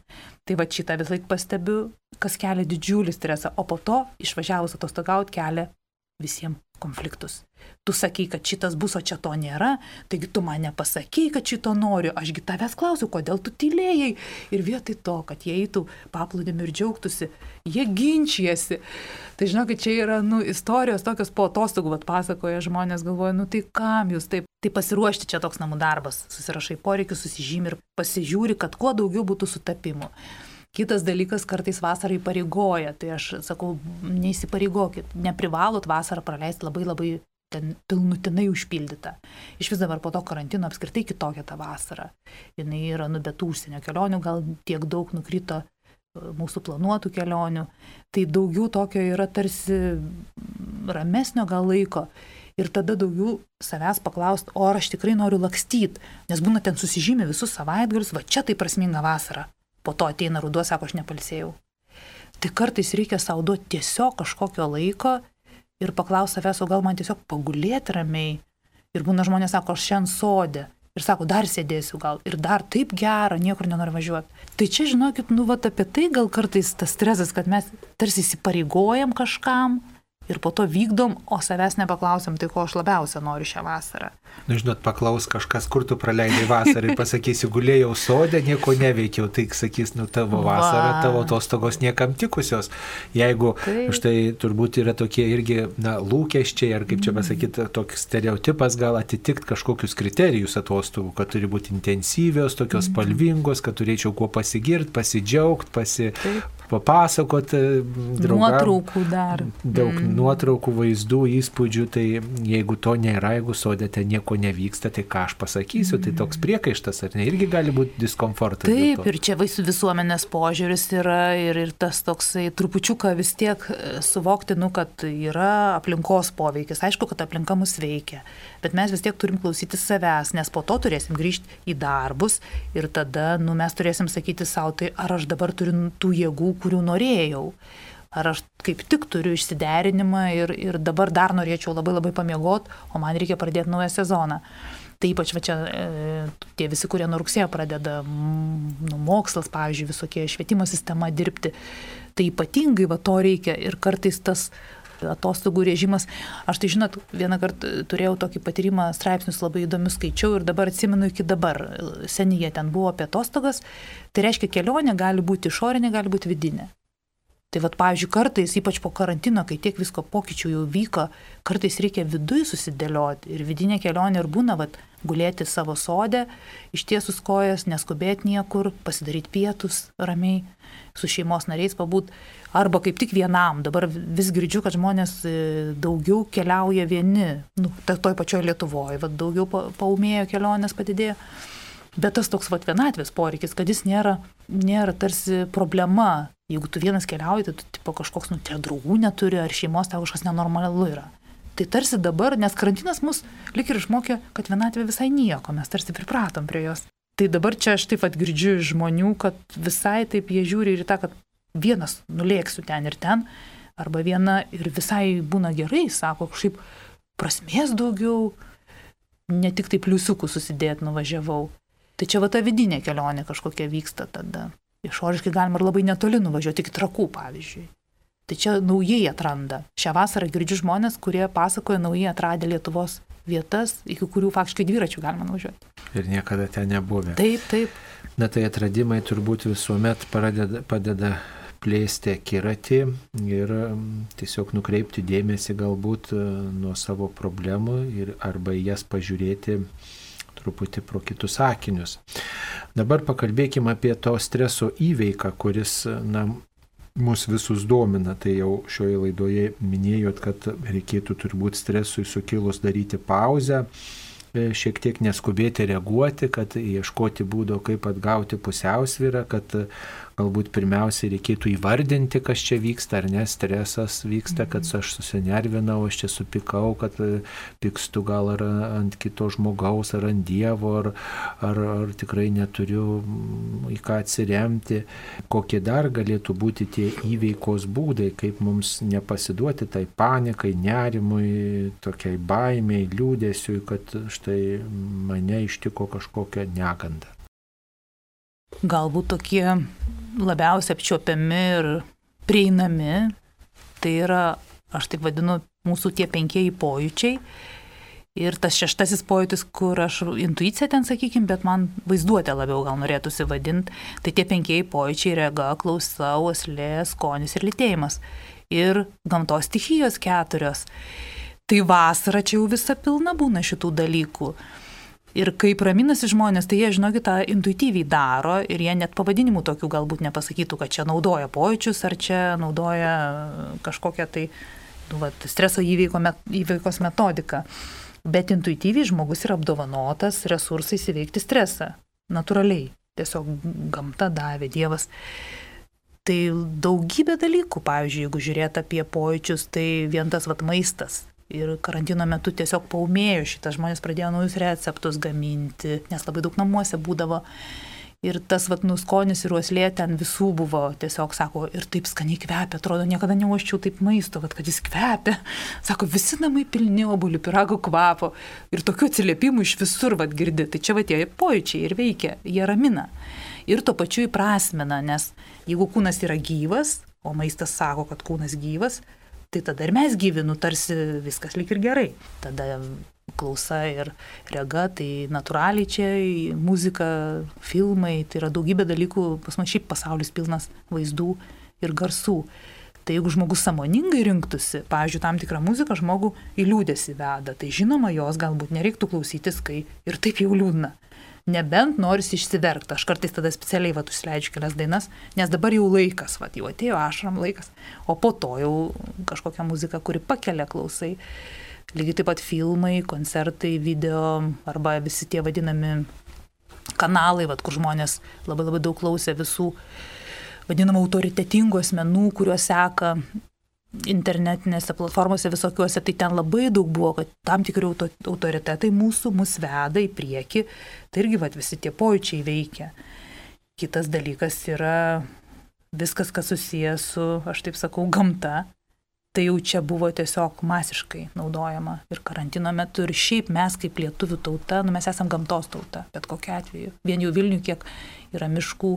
Tai šitą vis laik pastebiu, kas kelia didžiulį stresą, o po to išvažiavus atostogauti kelia visiems konfliktus. Tu sakai, kad šitas bus, o čia to nėra, taigi tu man nepasakei, kad šito noriu, ašgi tavęs klausiu, kodėl tu tylėjai. Ir vietoj to, kad jie eitų paplūdimiu ir džiaugtųsi, jie ginčijasi. Tai žinokit, čia yra istorijos tokios po atostogų, pasakoja žmonės, galvoja, tai kam jūs taip. Tai pasiruošti čia toks namų darbas, susirašai poreikius, susižymi ir pasižiūri, kad kuo daugiau būtų sutapimų. Kitas dalykas, kartais vasarą įpareigoja, tai aš sakau, neįsipareigokit, neprivalot vasarą praleisti labai labai ten pilnutinai užpildyta. Iš vis dabar po to karantino apskritai kitokia ta vasara. Jinai yra be tų užsienio kelionių, gal tiek daug nukrito mūsų planuotų kelionių. Tai daugiau tokio yra tarsi ramesnio gal laiko. Ir tada daugiau savęs paklausti, o ar aš tikrai noriu lakstyti, nes būna ten susižymė visus savaitgalius, čia tai prasminga vasara. Po to ateina ruduo, sako, aš nepalsėjau. Tai kartais reikia sau duoti tiesiog kažkokio laiko ir paklausti savęs, o gal man tiesiog pagulėti ramiai. Ir būna žmonės sako, aš šiandien sode. Ir sako, dar sėdėsiu gal. Ir dar taip gera, niekur nenoriu važiuoti. Tai čia, žinokit, apie tai gal kartais tas stresas, kad mes tarsi įsipareigojam kažkam ir po to vykdom, o savęs nepaklausiam, tai ko aš labiausia noriu šią vasarą. Žinot, paklaus kažkas, kur tu praleidai vasarą ir pasakysi, gulėjau sode, nieko neveikiau, tai sakys, tavo vasara, tavo atostogos niekam tikusios. Jeigu štai turbūt yra tokie irgi lūkesčiai, ar kaip čia pasakyti, toks stereotipas gal atitikti kažkokius kriterijus atostogų, kad turi būti intensyvios, tokios spalvingos, kad turėčiau kuo pasigirti, pasidžiaugti, papasakoti draugams. Nuotraukų dar. Daug nuotraukų, vaizdų, įspūdžių, tai jeigu to nėra, jeigu sodėte nieko nevyksta, tai ką aš pasakysiu, tai toks priekaištas, ar ne, irgi gali būti diskomfortas. Taip, ir čia visuomenės požiūris yra ir tas toksai trupučiuką vis tiek suvokti, kad yra aplinkos poveikis. Aišku, kad aplinka mus veikia, bet mes vis tiek turim klausyti savęs, nes po to turėsim grįžti į darbus ir tada mes turėsim sakyti savo, tai ar aš dabar turiu tų jėgų, kurių norėjau. Ar aš kaip tik turiu išsiderinimą ir dabar dar norėčiau labai pamiegot, o man reikia pradėti naują sezoną. Tai ypač va čia tie visi, kurie nuo rugsėjo pradeda mokslas, pavyzdžiui, visokie švietimo sistema dirbti, tai ypatingai va to reikia ir kartais tas atostogų režimas. Aš tai žinot, vieną kartą turėjau tokį patyrimą, straipsnius labai įdomius skaičiau ir dabar atsimenu iki dabar. Senyje ten buvo apie atostogas, tai reiškia kelionė gali būti išorinė, gali būti vidinė. Tai vat, pavyzdžiui, kartais, ypač po karantino, kai tiek visko pokyčių jau vyko, kartais reikia viduj susidėlioti ir vidinė kelionė ir būna, vat, gulėti savo sode, ištiesus kojas, neskubėti niekur, pasidaryti pietus ramiai, su šeimos nariais pabūt, arba kaip tik vienam. Dabar vis girdžiu, kad žmonės daugiau keliauja vieni, toj pačioj Lietuvoje, vat, daugiau paumėjo kelionės padidėjo. Bet tas toks vat, vienatvės poreikis, kad jis nėra tarsi problema. Jeigu tu vienas keliauji, tai tu tipo, kažkoks, draugų neturi, ar šeimos tau kažkas nenormalu yra. Tai tarsi dabar, nes karantinas mus lik ir išmokė, kad vienatvė visai nieko, mes tarsi pripratom prie jos. Tai dabar čia aš taip pat girdžiu iš žmonių, kad visai taip jie žiūri ir į tą, kad vienas nulėksiu ten ir ten, arba viena ir visai būna gerai, sako, kažkaip prasmės daugiau, ne tik tai pliusiukų susidėti nuvažiavau. Tai čia va ta vidinė kelionė kažkokia vyksta tada. Išoriškai galima ir labai netoli nuvažiuoti, iki Trakų, pavyzdžiui. Tai čia naujai atranda. Šią vasarą girdžiu žmonės, kurie pasakoja naujai atradę Lietuvos vietas, iki kurių faktiškai dviračių galima nuvažiuoti. Ir niekada ten nebuvę. Taip. Na tai atradimai turbūt visuomet padeda plėsti akiratį ir tiesiog nukreipti dėmesį galbūt nuo savo problemų arba į jas pažiūrėti truputį pro kitus akinius. Dabar pakalbėkime apie to streso įveiką, kuris mus visus domina. Tai jau šioje laidoje minėjot, kad reikėtų turbūt stresui sukilus daryti pauzę, šiek tiek neskubėti reaguoti, kad ieškoti būdo, kaip atgauti pusiausvyrą, kad galbūt pirmiausiai reikėtų įvardinti, kas čia vyksta, ar ne, stresas vyksta, kad aš susinervinau, aš čia supykau, kad pykstu gal ar ant kito žmogaus, ar ant Dievo, ar tikrai neturiu į ką atsiremti. Kokie dar galėtų būti tie įveikos būdai, kaip mums nepasiduoti tai panikai, nerimui, tokiai baimiai, liūdesiui, kad štai mane ištiko kažkokia neganda. Galbūt tokie labiausiai apčiuopiami ir prieinami, tai yra, aš taip vadinu, mūsų tie 5 pojūčiai. Ir tas 6 pojūtis, kur aš intuicija ten, sakykime, bet man vaizduotė labiau gal norėtųsi vadinti, tai tie 5 pojūčiai rega, klausa, uoslė, skonis ir lytėjimas. Ir gamtos stichijos 4. Tai vasara čia jau visa pilna būna šitų dalykų. Ir kaip raminasi žmonės, tai jie, žinokit, tą intuityviai daro ir jie net pavadinimų tokių galbūt nepasakytų, kad čia naudoja pojūčius ar čia naudoja kažkokią tai streso įveikos metodiką. Bet intuityviai žmogus yra apdovanotas resursais įveikti stresą. Natūraliai. Tiesiog gamta davė, Dievas. Tai daugybė dalykų, pavyzdžiui, jeigu žiūrėt apie pojūčius, tai vien tas maistas. Ir karantino metu tiesiog paumėjo šitas, žmonės pradėjo naujus receptus gaminti, nes labai daug namuose būdavo. Ir tas skonis ir uoslė ten visų buvo, tiesiog sako, ir taip skaniai kvepia, atrodo, niekada neuoščiau taip maisto, kad jis kvepia. Sako, visi namai pilni obuolių pyrago kvapo. Ir tokių atsiliepimų iš visur girdi. Tai čia tie pojūčiai ir veikia, jie ramina. Ir tuo pačiu įprasmina, nes jeigu kūnas yra gyvas, o maistas sako, kad kūnas gyvas, tai tada ir mes gyvi, tarsi viskas lyg ir gerai. Tada klausa ir rega, tai natūraliai čia muzika, filmai, tai yra daugybė dalykų, pas man šiaip pasaulis pilnas vaizdų ir garsų. Tai jeigu žmogus sąmoningai rinktųsi, pavyzdžiui, tam tikrą muziką žmogų į liūdesį veda, tai žinoma, jos galbūt nereiktų klausytis, kai ir taip jau liūdna. Nebent norisi išsiverkti. Aš kartais tada specialiai užsileidžiu kelias dainas, nes dabar jau laikas, jau atėjo ašaram laikas, o po to jau kažkokia muzika, kuri pakelia klausai. Lygiai taip pat filmai, koncertai, video arba visi tie vadinami kanalai, kur žmonės labai labai daug klausė visų vadinamų autoritetingų asmenų, kuriuos seka internetinėse platformose visokiuose, tai ten labai daug buvo, kad tam tikri autoritetai mus veda į priekį, tai irgi visi tie pojūčiai veikia. Kitas dalykas yra viskas, kas susijęs su, aš taip sakau, gamta, tai jau čia buvo tiesiog masiškai naudojama ir karantino metu. Ir šiaip mes kaip lietuvių tauta, mes esam gamtos tauta, bet kokiu atveju. Vien jau Vilniuje, kiek yra miškų,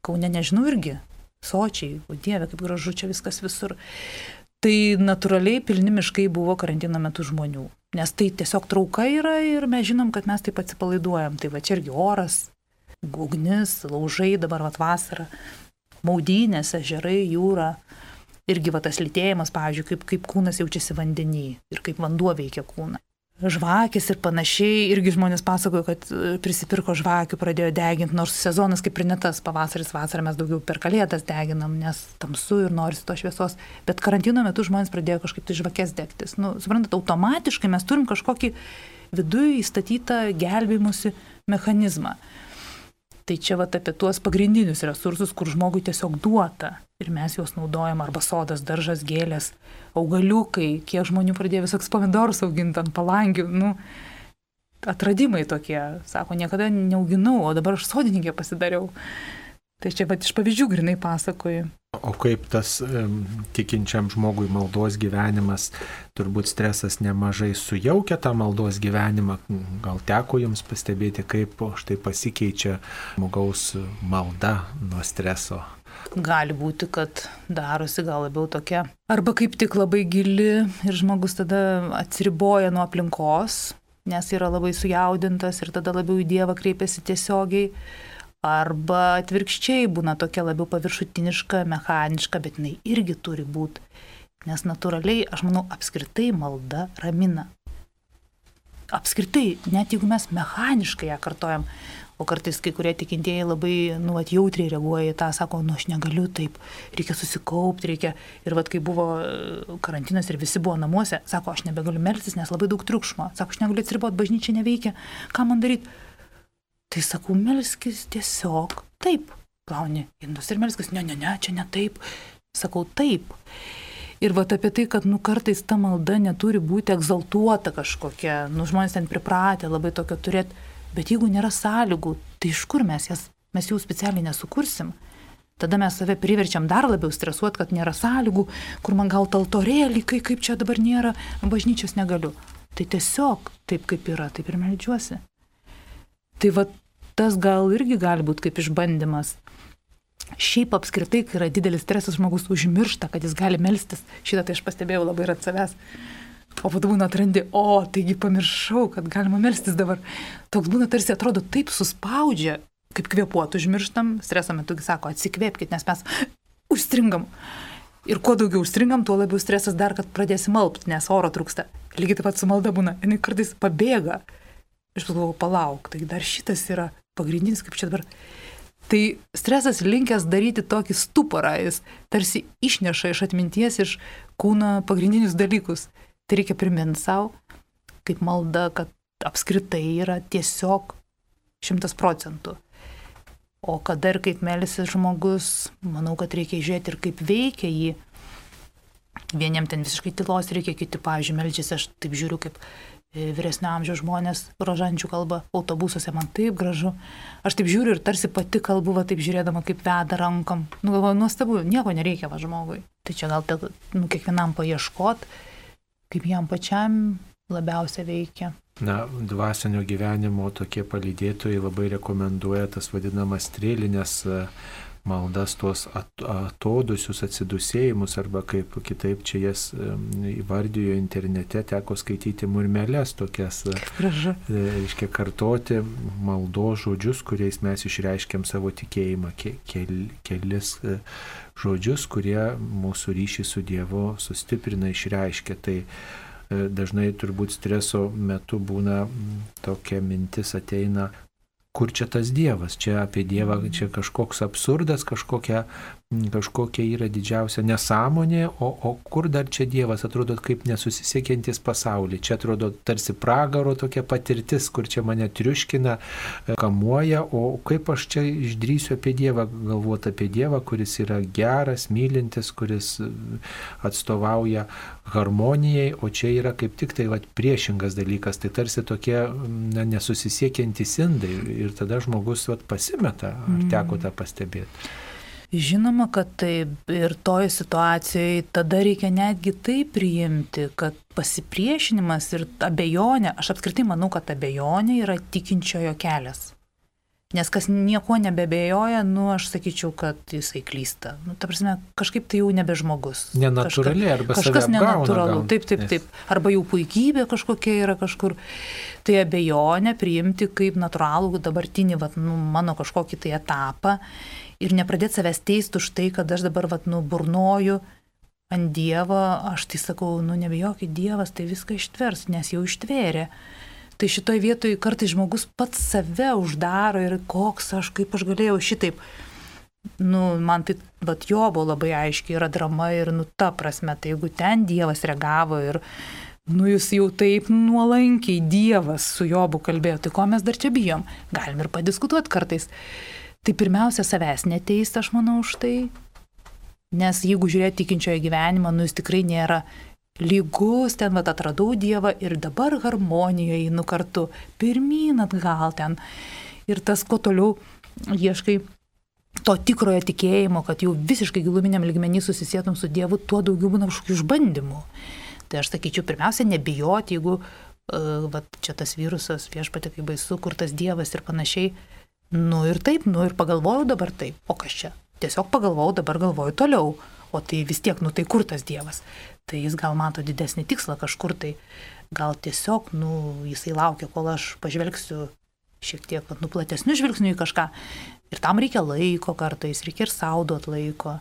Kaune nežinau irgi, sočiai, o Dieve, kaip gražu čia viskas visur. Tai natūraliai pilni miškai buvo karantino metu žmonių. Nes tai tiesiog trauka yra ir mes žinom, kad mes taip atsipalaiduojam. Tai va čia irgi oras, ugnis, laužai, dabar vasara, maudynės, ežerai, jūra. Irgi va tas lytėjimas, pavyzdžiui, kaip kūnas jaučiasi vandenį ir kaip vanduo veikia kūną. Žvakės ir panašiai, irgi žmonės pasakojo, kad prisipirko žvakių, pradėjo deginti, nors sezonas kaip ir ne tas, pavasaris, vasarą mes daugiau per Kalėdas deginam, nes tamsu ir norisi to šviesos, bet karantino metu žmonės pradėjo kažkaip tai žvakės degtis. Suprantat, automatiškai mes turim kažkokį viduje įstatytą gelbėjimusi mechanizmą. Tai čia vat apie tuos pagrindinius resursus, kur žmogui tiesiog duota ir mes juos naudojam, arba sodas, daržas, gėlės, augaliukai, kiek žmonių pradėjo visoks pomidorus auginti ant palangių, atradimai tokie, sako, niekada neauginau, o dabar aš sodininkė pasidariau. Tai čia vat iš pavyzdžių grinai pasakoju. O kaip tas tikinčiam žmogui maldos gyvenimas, turbūt stresas nemažai sujaukia tą maldos gyvenimą, gal teko jums pastebėti, kaip štai pasikeičia žmogaus malda nuo streso? Gali būti, kad darosi gal labiau tokia, arba kaip tik labai gili ir žmogus tada atsiriboja nuo aplinkos, nes yra labai sujaudintas ir tada labiau į Dievą kreipiasi tiesiogiai. Arba atvirkščiai būna tokia labiau paviršutiniška, mechaniška, bet jinai irgi turi būti. Nes natūraliai, aš manau, apskritai malda ramina. Apskritai, net jeigu mes mechaniškai ją kartojam, o kartais kai kurie tikintieji labai jautriai reaguoja į tą, sako, aš negaliu taip, reikia susikaupti, reikia. Ir kai buvo karantinas ir visi buvo namuose, sako, aš nebegaliu melstis, nes labai daug triukšmo. Sako, aš negaliu atsiriboti, bažnyčia neveikia, ką man daryti? Tai sakau, melskis tiesiog taip. Plauni indus ir melskis, ne, čia ne taip. Sakau, taip. Ir apie tai, kad kartais ta malda neturi būti egzaltuota kažkokia, žmonės ten pripratę labai tokio turėti, bet jeigu nėra sąlygų, tai iš kur mes jų specialiai nesukursim. Tada mes save priverčiam dar labiau stresuoti, kad nėra sąlygų, kur man gal taltorėlį, kaip čia dabar nėra, bažnyčios negaliu. Tai tiesiog taip kaip yra, taip ir meldžiuosi. Tai tas gal irgi gali būti kaip išbandymas. Šiaip apskritai, kai yra didelis stresas, žmogus užmiršta, kad jis gali melstis. Šitą tai aš pastebėjau labai ir ant savęs. O po to būna atrandi, taigi pamiršau, kad galima melstis dabar. Toks būna tarsi atrodo taip suspaudžia, kaip kvėpuot užmirštam. Streso metu sako, atsikvėpkit, nes mes užstringam. Ir kuo daugiau užstringam, tuo labiau stresas dar, kad pradėsim malpti, nes oro trūksta. Lygiai taip pat su malda būna. Jinai kartais pabėga. Aš galvoju, palauk, tai dar šitas yra pagrindinis, kaip čia dabar. Tai stresas linkęs daryti tokį stuporą, jis tarsi išneša iš atminties, iš kūno pagrindinius dalykus. Tai reikia priminti savo, kaip malda, kad apskritai yra tiesiog 100%. O kada ir kaip melsis žmogus, manau, kad reikia žiūrėti ir kaip veikia jį. Vieniem ten visiškai tylos reikia, kiti, pavyzdžiui, meldžiasi, aš taip žiūriu, kaip vyresnio amžiaus žmonės rožančių kalba autobusuose, man taip gražu. Aš taip žiūriu ir tarsi pati kalbu, taip žiūrėdama, kaip veda rankom. Galvoju, nuostabu, nieko nereikia žmogui. Tai čia gal kiekvienam paieškot, kaip jam pačiam labiausiai veikia. Dvasinio gyvenimo tokie palydėtojai labai rekomenduoja tas vadinamas strėlinės maldas, tuos atodusius atsidusėjimus, arba kaip kitaip čia jas įvardijo internete, teko skaityti murmeles tokias, reiškia kartoti maldos žodžius, kuriais mes išreiškiam savo tikėjimą, kelis žodžius, kurie mūsų ryšį su Dievu sustiprina, išreiškia. Tai dažnai turbūt streso metu būna tokia mintis ateina, kur čia tas Dievas, čia apie Dievą, čia kažkoks absurdas, kažkokia yra didžiausia nesąmonė, o kur dar čia Dievas, atrodo kaip nesusisiekiantis pasaulį, čia atrodo tarsi pragaro tokia patirtis, kur čia mane triuškina, kamuoja, o kaip aš čia išdrįsiu apie Dievą, galvoti apie Dievą, kuris yra geras, mylintis, kuris atstovauja harmonijai, o čia yra kaip tik tai priešingas dalykas, tai tarsi tokie nesusisiekiantys indai ir tada žmogus pasimeta, ar teko tą pastebėti? Žinoma, kad taip ir toje situacijoje tada reikia netgi tai priimti, kad pasipriešinimas ir abejonė, aš apskritai manau, kad abejonė yra tikinčiojo kelias. Nes kas nieko nebebejoja, aš sakyčiau, kad jisai klysta. Ta prasme, kažkaip tai jau nebe žmogus. Nenatūraliai arba kažkas nenatūralu. Taip. Arba jau puikybė kažkokia yra kažkur. Tai abejonė priimti kaip natūralų dabartinį mano kažkokį tai etapą ir nepradėti savęs teisti už tai, kad aš dabar burnoju ant Dievo. Aš tai sakau, nebijokit, Dievas tai viską ištvers, nes jau ištvėrė. Tai šitoj vietoj kartais žmogus pats save uždaro ir kaip aš galėjau šitaip. Man tai Jobo labai aiškiai yra drama ir ta prasme, tai jeigu ten Dievas reagavo ir jis jau taip nuolankiai Dievas su Jobu kalbėjo, tai ko mes dar čia bijom? Galim ir padiskutuoti kartais. Tai pirmiausia, savęs neteisti, aš manau, už tai. Nes jeigu žiūrėti tikinčiojo gyvenimą, jis tikrai nėra lygus, ten atradau Dievą ir dabar harmonijoje einu kartu, pirmyn atgal ten. Ir tas, kuo toliau ieškai to tikrojo tikėjimo, kad jau visiškai giluminiam lygmenį susisietum su Dievu, tuo daugiau būna kažkokių išbandymų. Tai aš sakyčiau, pirmiausia, nebijoti, jeigu čia tas virusas, viešpatie, kaip baisu, kur tas Dievas ir panašiai. Ir taip, ir pagalvojau dabar taip, o kas čia? Tiesiog pagalvojau, dabar galvoju toliau, o tai vis tiek, tai kur tas Dievas? Tai jis gal mato didesnį tikslą kažkur, tai gal tiesiog, jisai laukia, kol aš pažvelgsiu šiek tiek, platesniu žvilgsniu į kažką. Ir tam reikia laiko kartais, reikia ir sau duoti laiko.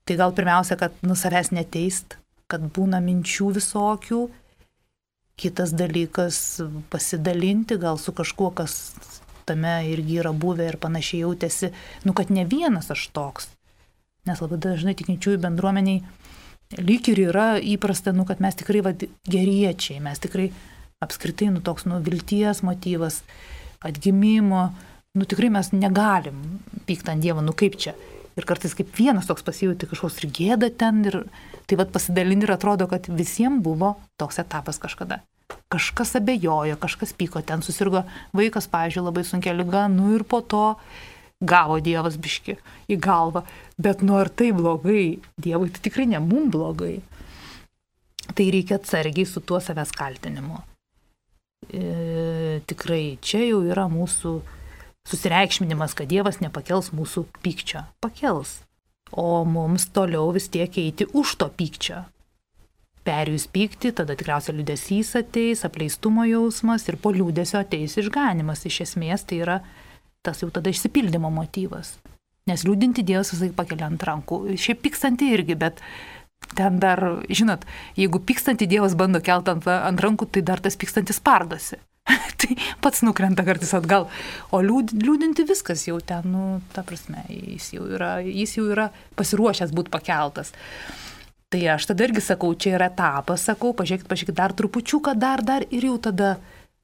Tai gal pirmiausia, kad savęs neteist, kad būna minčių visokių. Kitas dalykas, pasidalinti gal su kažkuo, kas tame irgi yra buvę ir panašiai jautėsi, kad ne vienas aš toks. Nes labai dažnai tikinčiųjų bendruomeniai lyg ir yra įprasta, kad mes tikrai geriečiai, mes tikrai apskritai toks vilties motyvas, atgimimo, tikrai mes negalim pykti ant Dievo, kaip čia. Ir kartais kaip vienas toks pasijauti kažkoks ir gėda ten, ir tai pasidalinti ir atrodo, kad visiems buvo toks etapas kažkada. Kažkas abejojo, kažkas pyko, ten susirgo vaikas, pavyzdžiui, labai sunkia liga, ir po to gavo Dievas biški į galvą. Bet ar tai blogai? Dievui tai tikrai ne mum blogai. Tai reikia atsargiai su tuo savęs kaltinimu. Tikrai čia jau yra mūsų susireikšminimas, kad Dievas nepakels mūsų pykčio. Pakels. O mums toliau vis tiek eiti už to pykčio. Perėjus pykti, tada tikriausiai liūdesys ateis, apleistumo jausmas ir po liūdesio ateis išganimas. Iš esmės tai yra tas jau tada išsipildymo motyvas. Nes liūdinti Dievas visai pakelia ant rankų. Šiaip pykstanti irgi, bet ten dar, žinot, jeigu pykstanti Dievas bando kelti ant rankų, tai dar tas pykstantis spardosi. Tai pats nukrenta kartais atgal. O liūdinti viskas jau ten, ta prasme, jis jau yra pasiruošęs būti pakeltas. Tai aš tada irgi sakau, čia yra etapas, sakau, pažiūrėkit dar trupučiuką, dar ir jau tada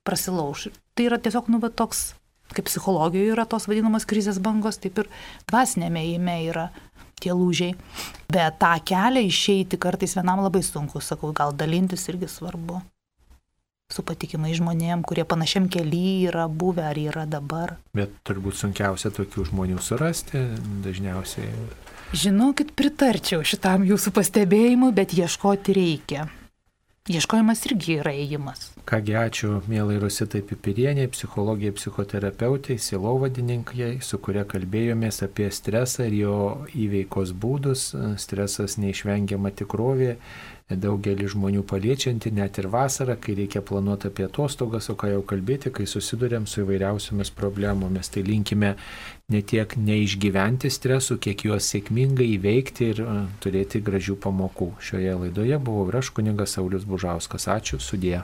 prasilauš. Tai yra tiesiog, toks, kaip psichologijoje yra tos vadinamos krizės bangos, taip ir dvasinėme ėjime yra tie lūžiai. Bet tą kelią išeiti kartais vienam labai sunku, sakau, gal dalintis irgi svarbu. Su patikimai žmonėm, kurie panašiam kely yra buvę ar yra dabar. Bet turbūt sunkiausia tokių žmonių surasti, dažniausiai. Žinokit, pritarčiau šitam jūsų pastebėjimui, bet ieškoti reikia. Ieškojimas irgi yra ėjimas. Kągi, ačiū mielai Rositai Pipirienei, psichologijai, psichoterapeutai, sielovadininkai, su kuria kalbėjomės apie stresą ir jo įveikos būdus. Stresas neišvengiama tikrovė, daugelį žmonių paliečianti, net ir vasarą, kai reikia planuoti apie atostogas, o ką jau kalbėti, kai susidurėm su įvairiausiomis problemomis. Tai linkime ne tiek neišgyventi stresų, kiek juos sėkmingai įveikti ir turėti gražių pamokų. Šioje laidoje buvau ir aš, kunigas Saulius Bužauskas. Ačiū, sudie.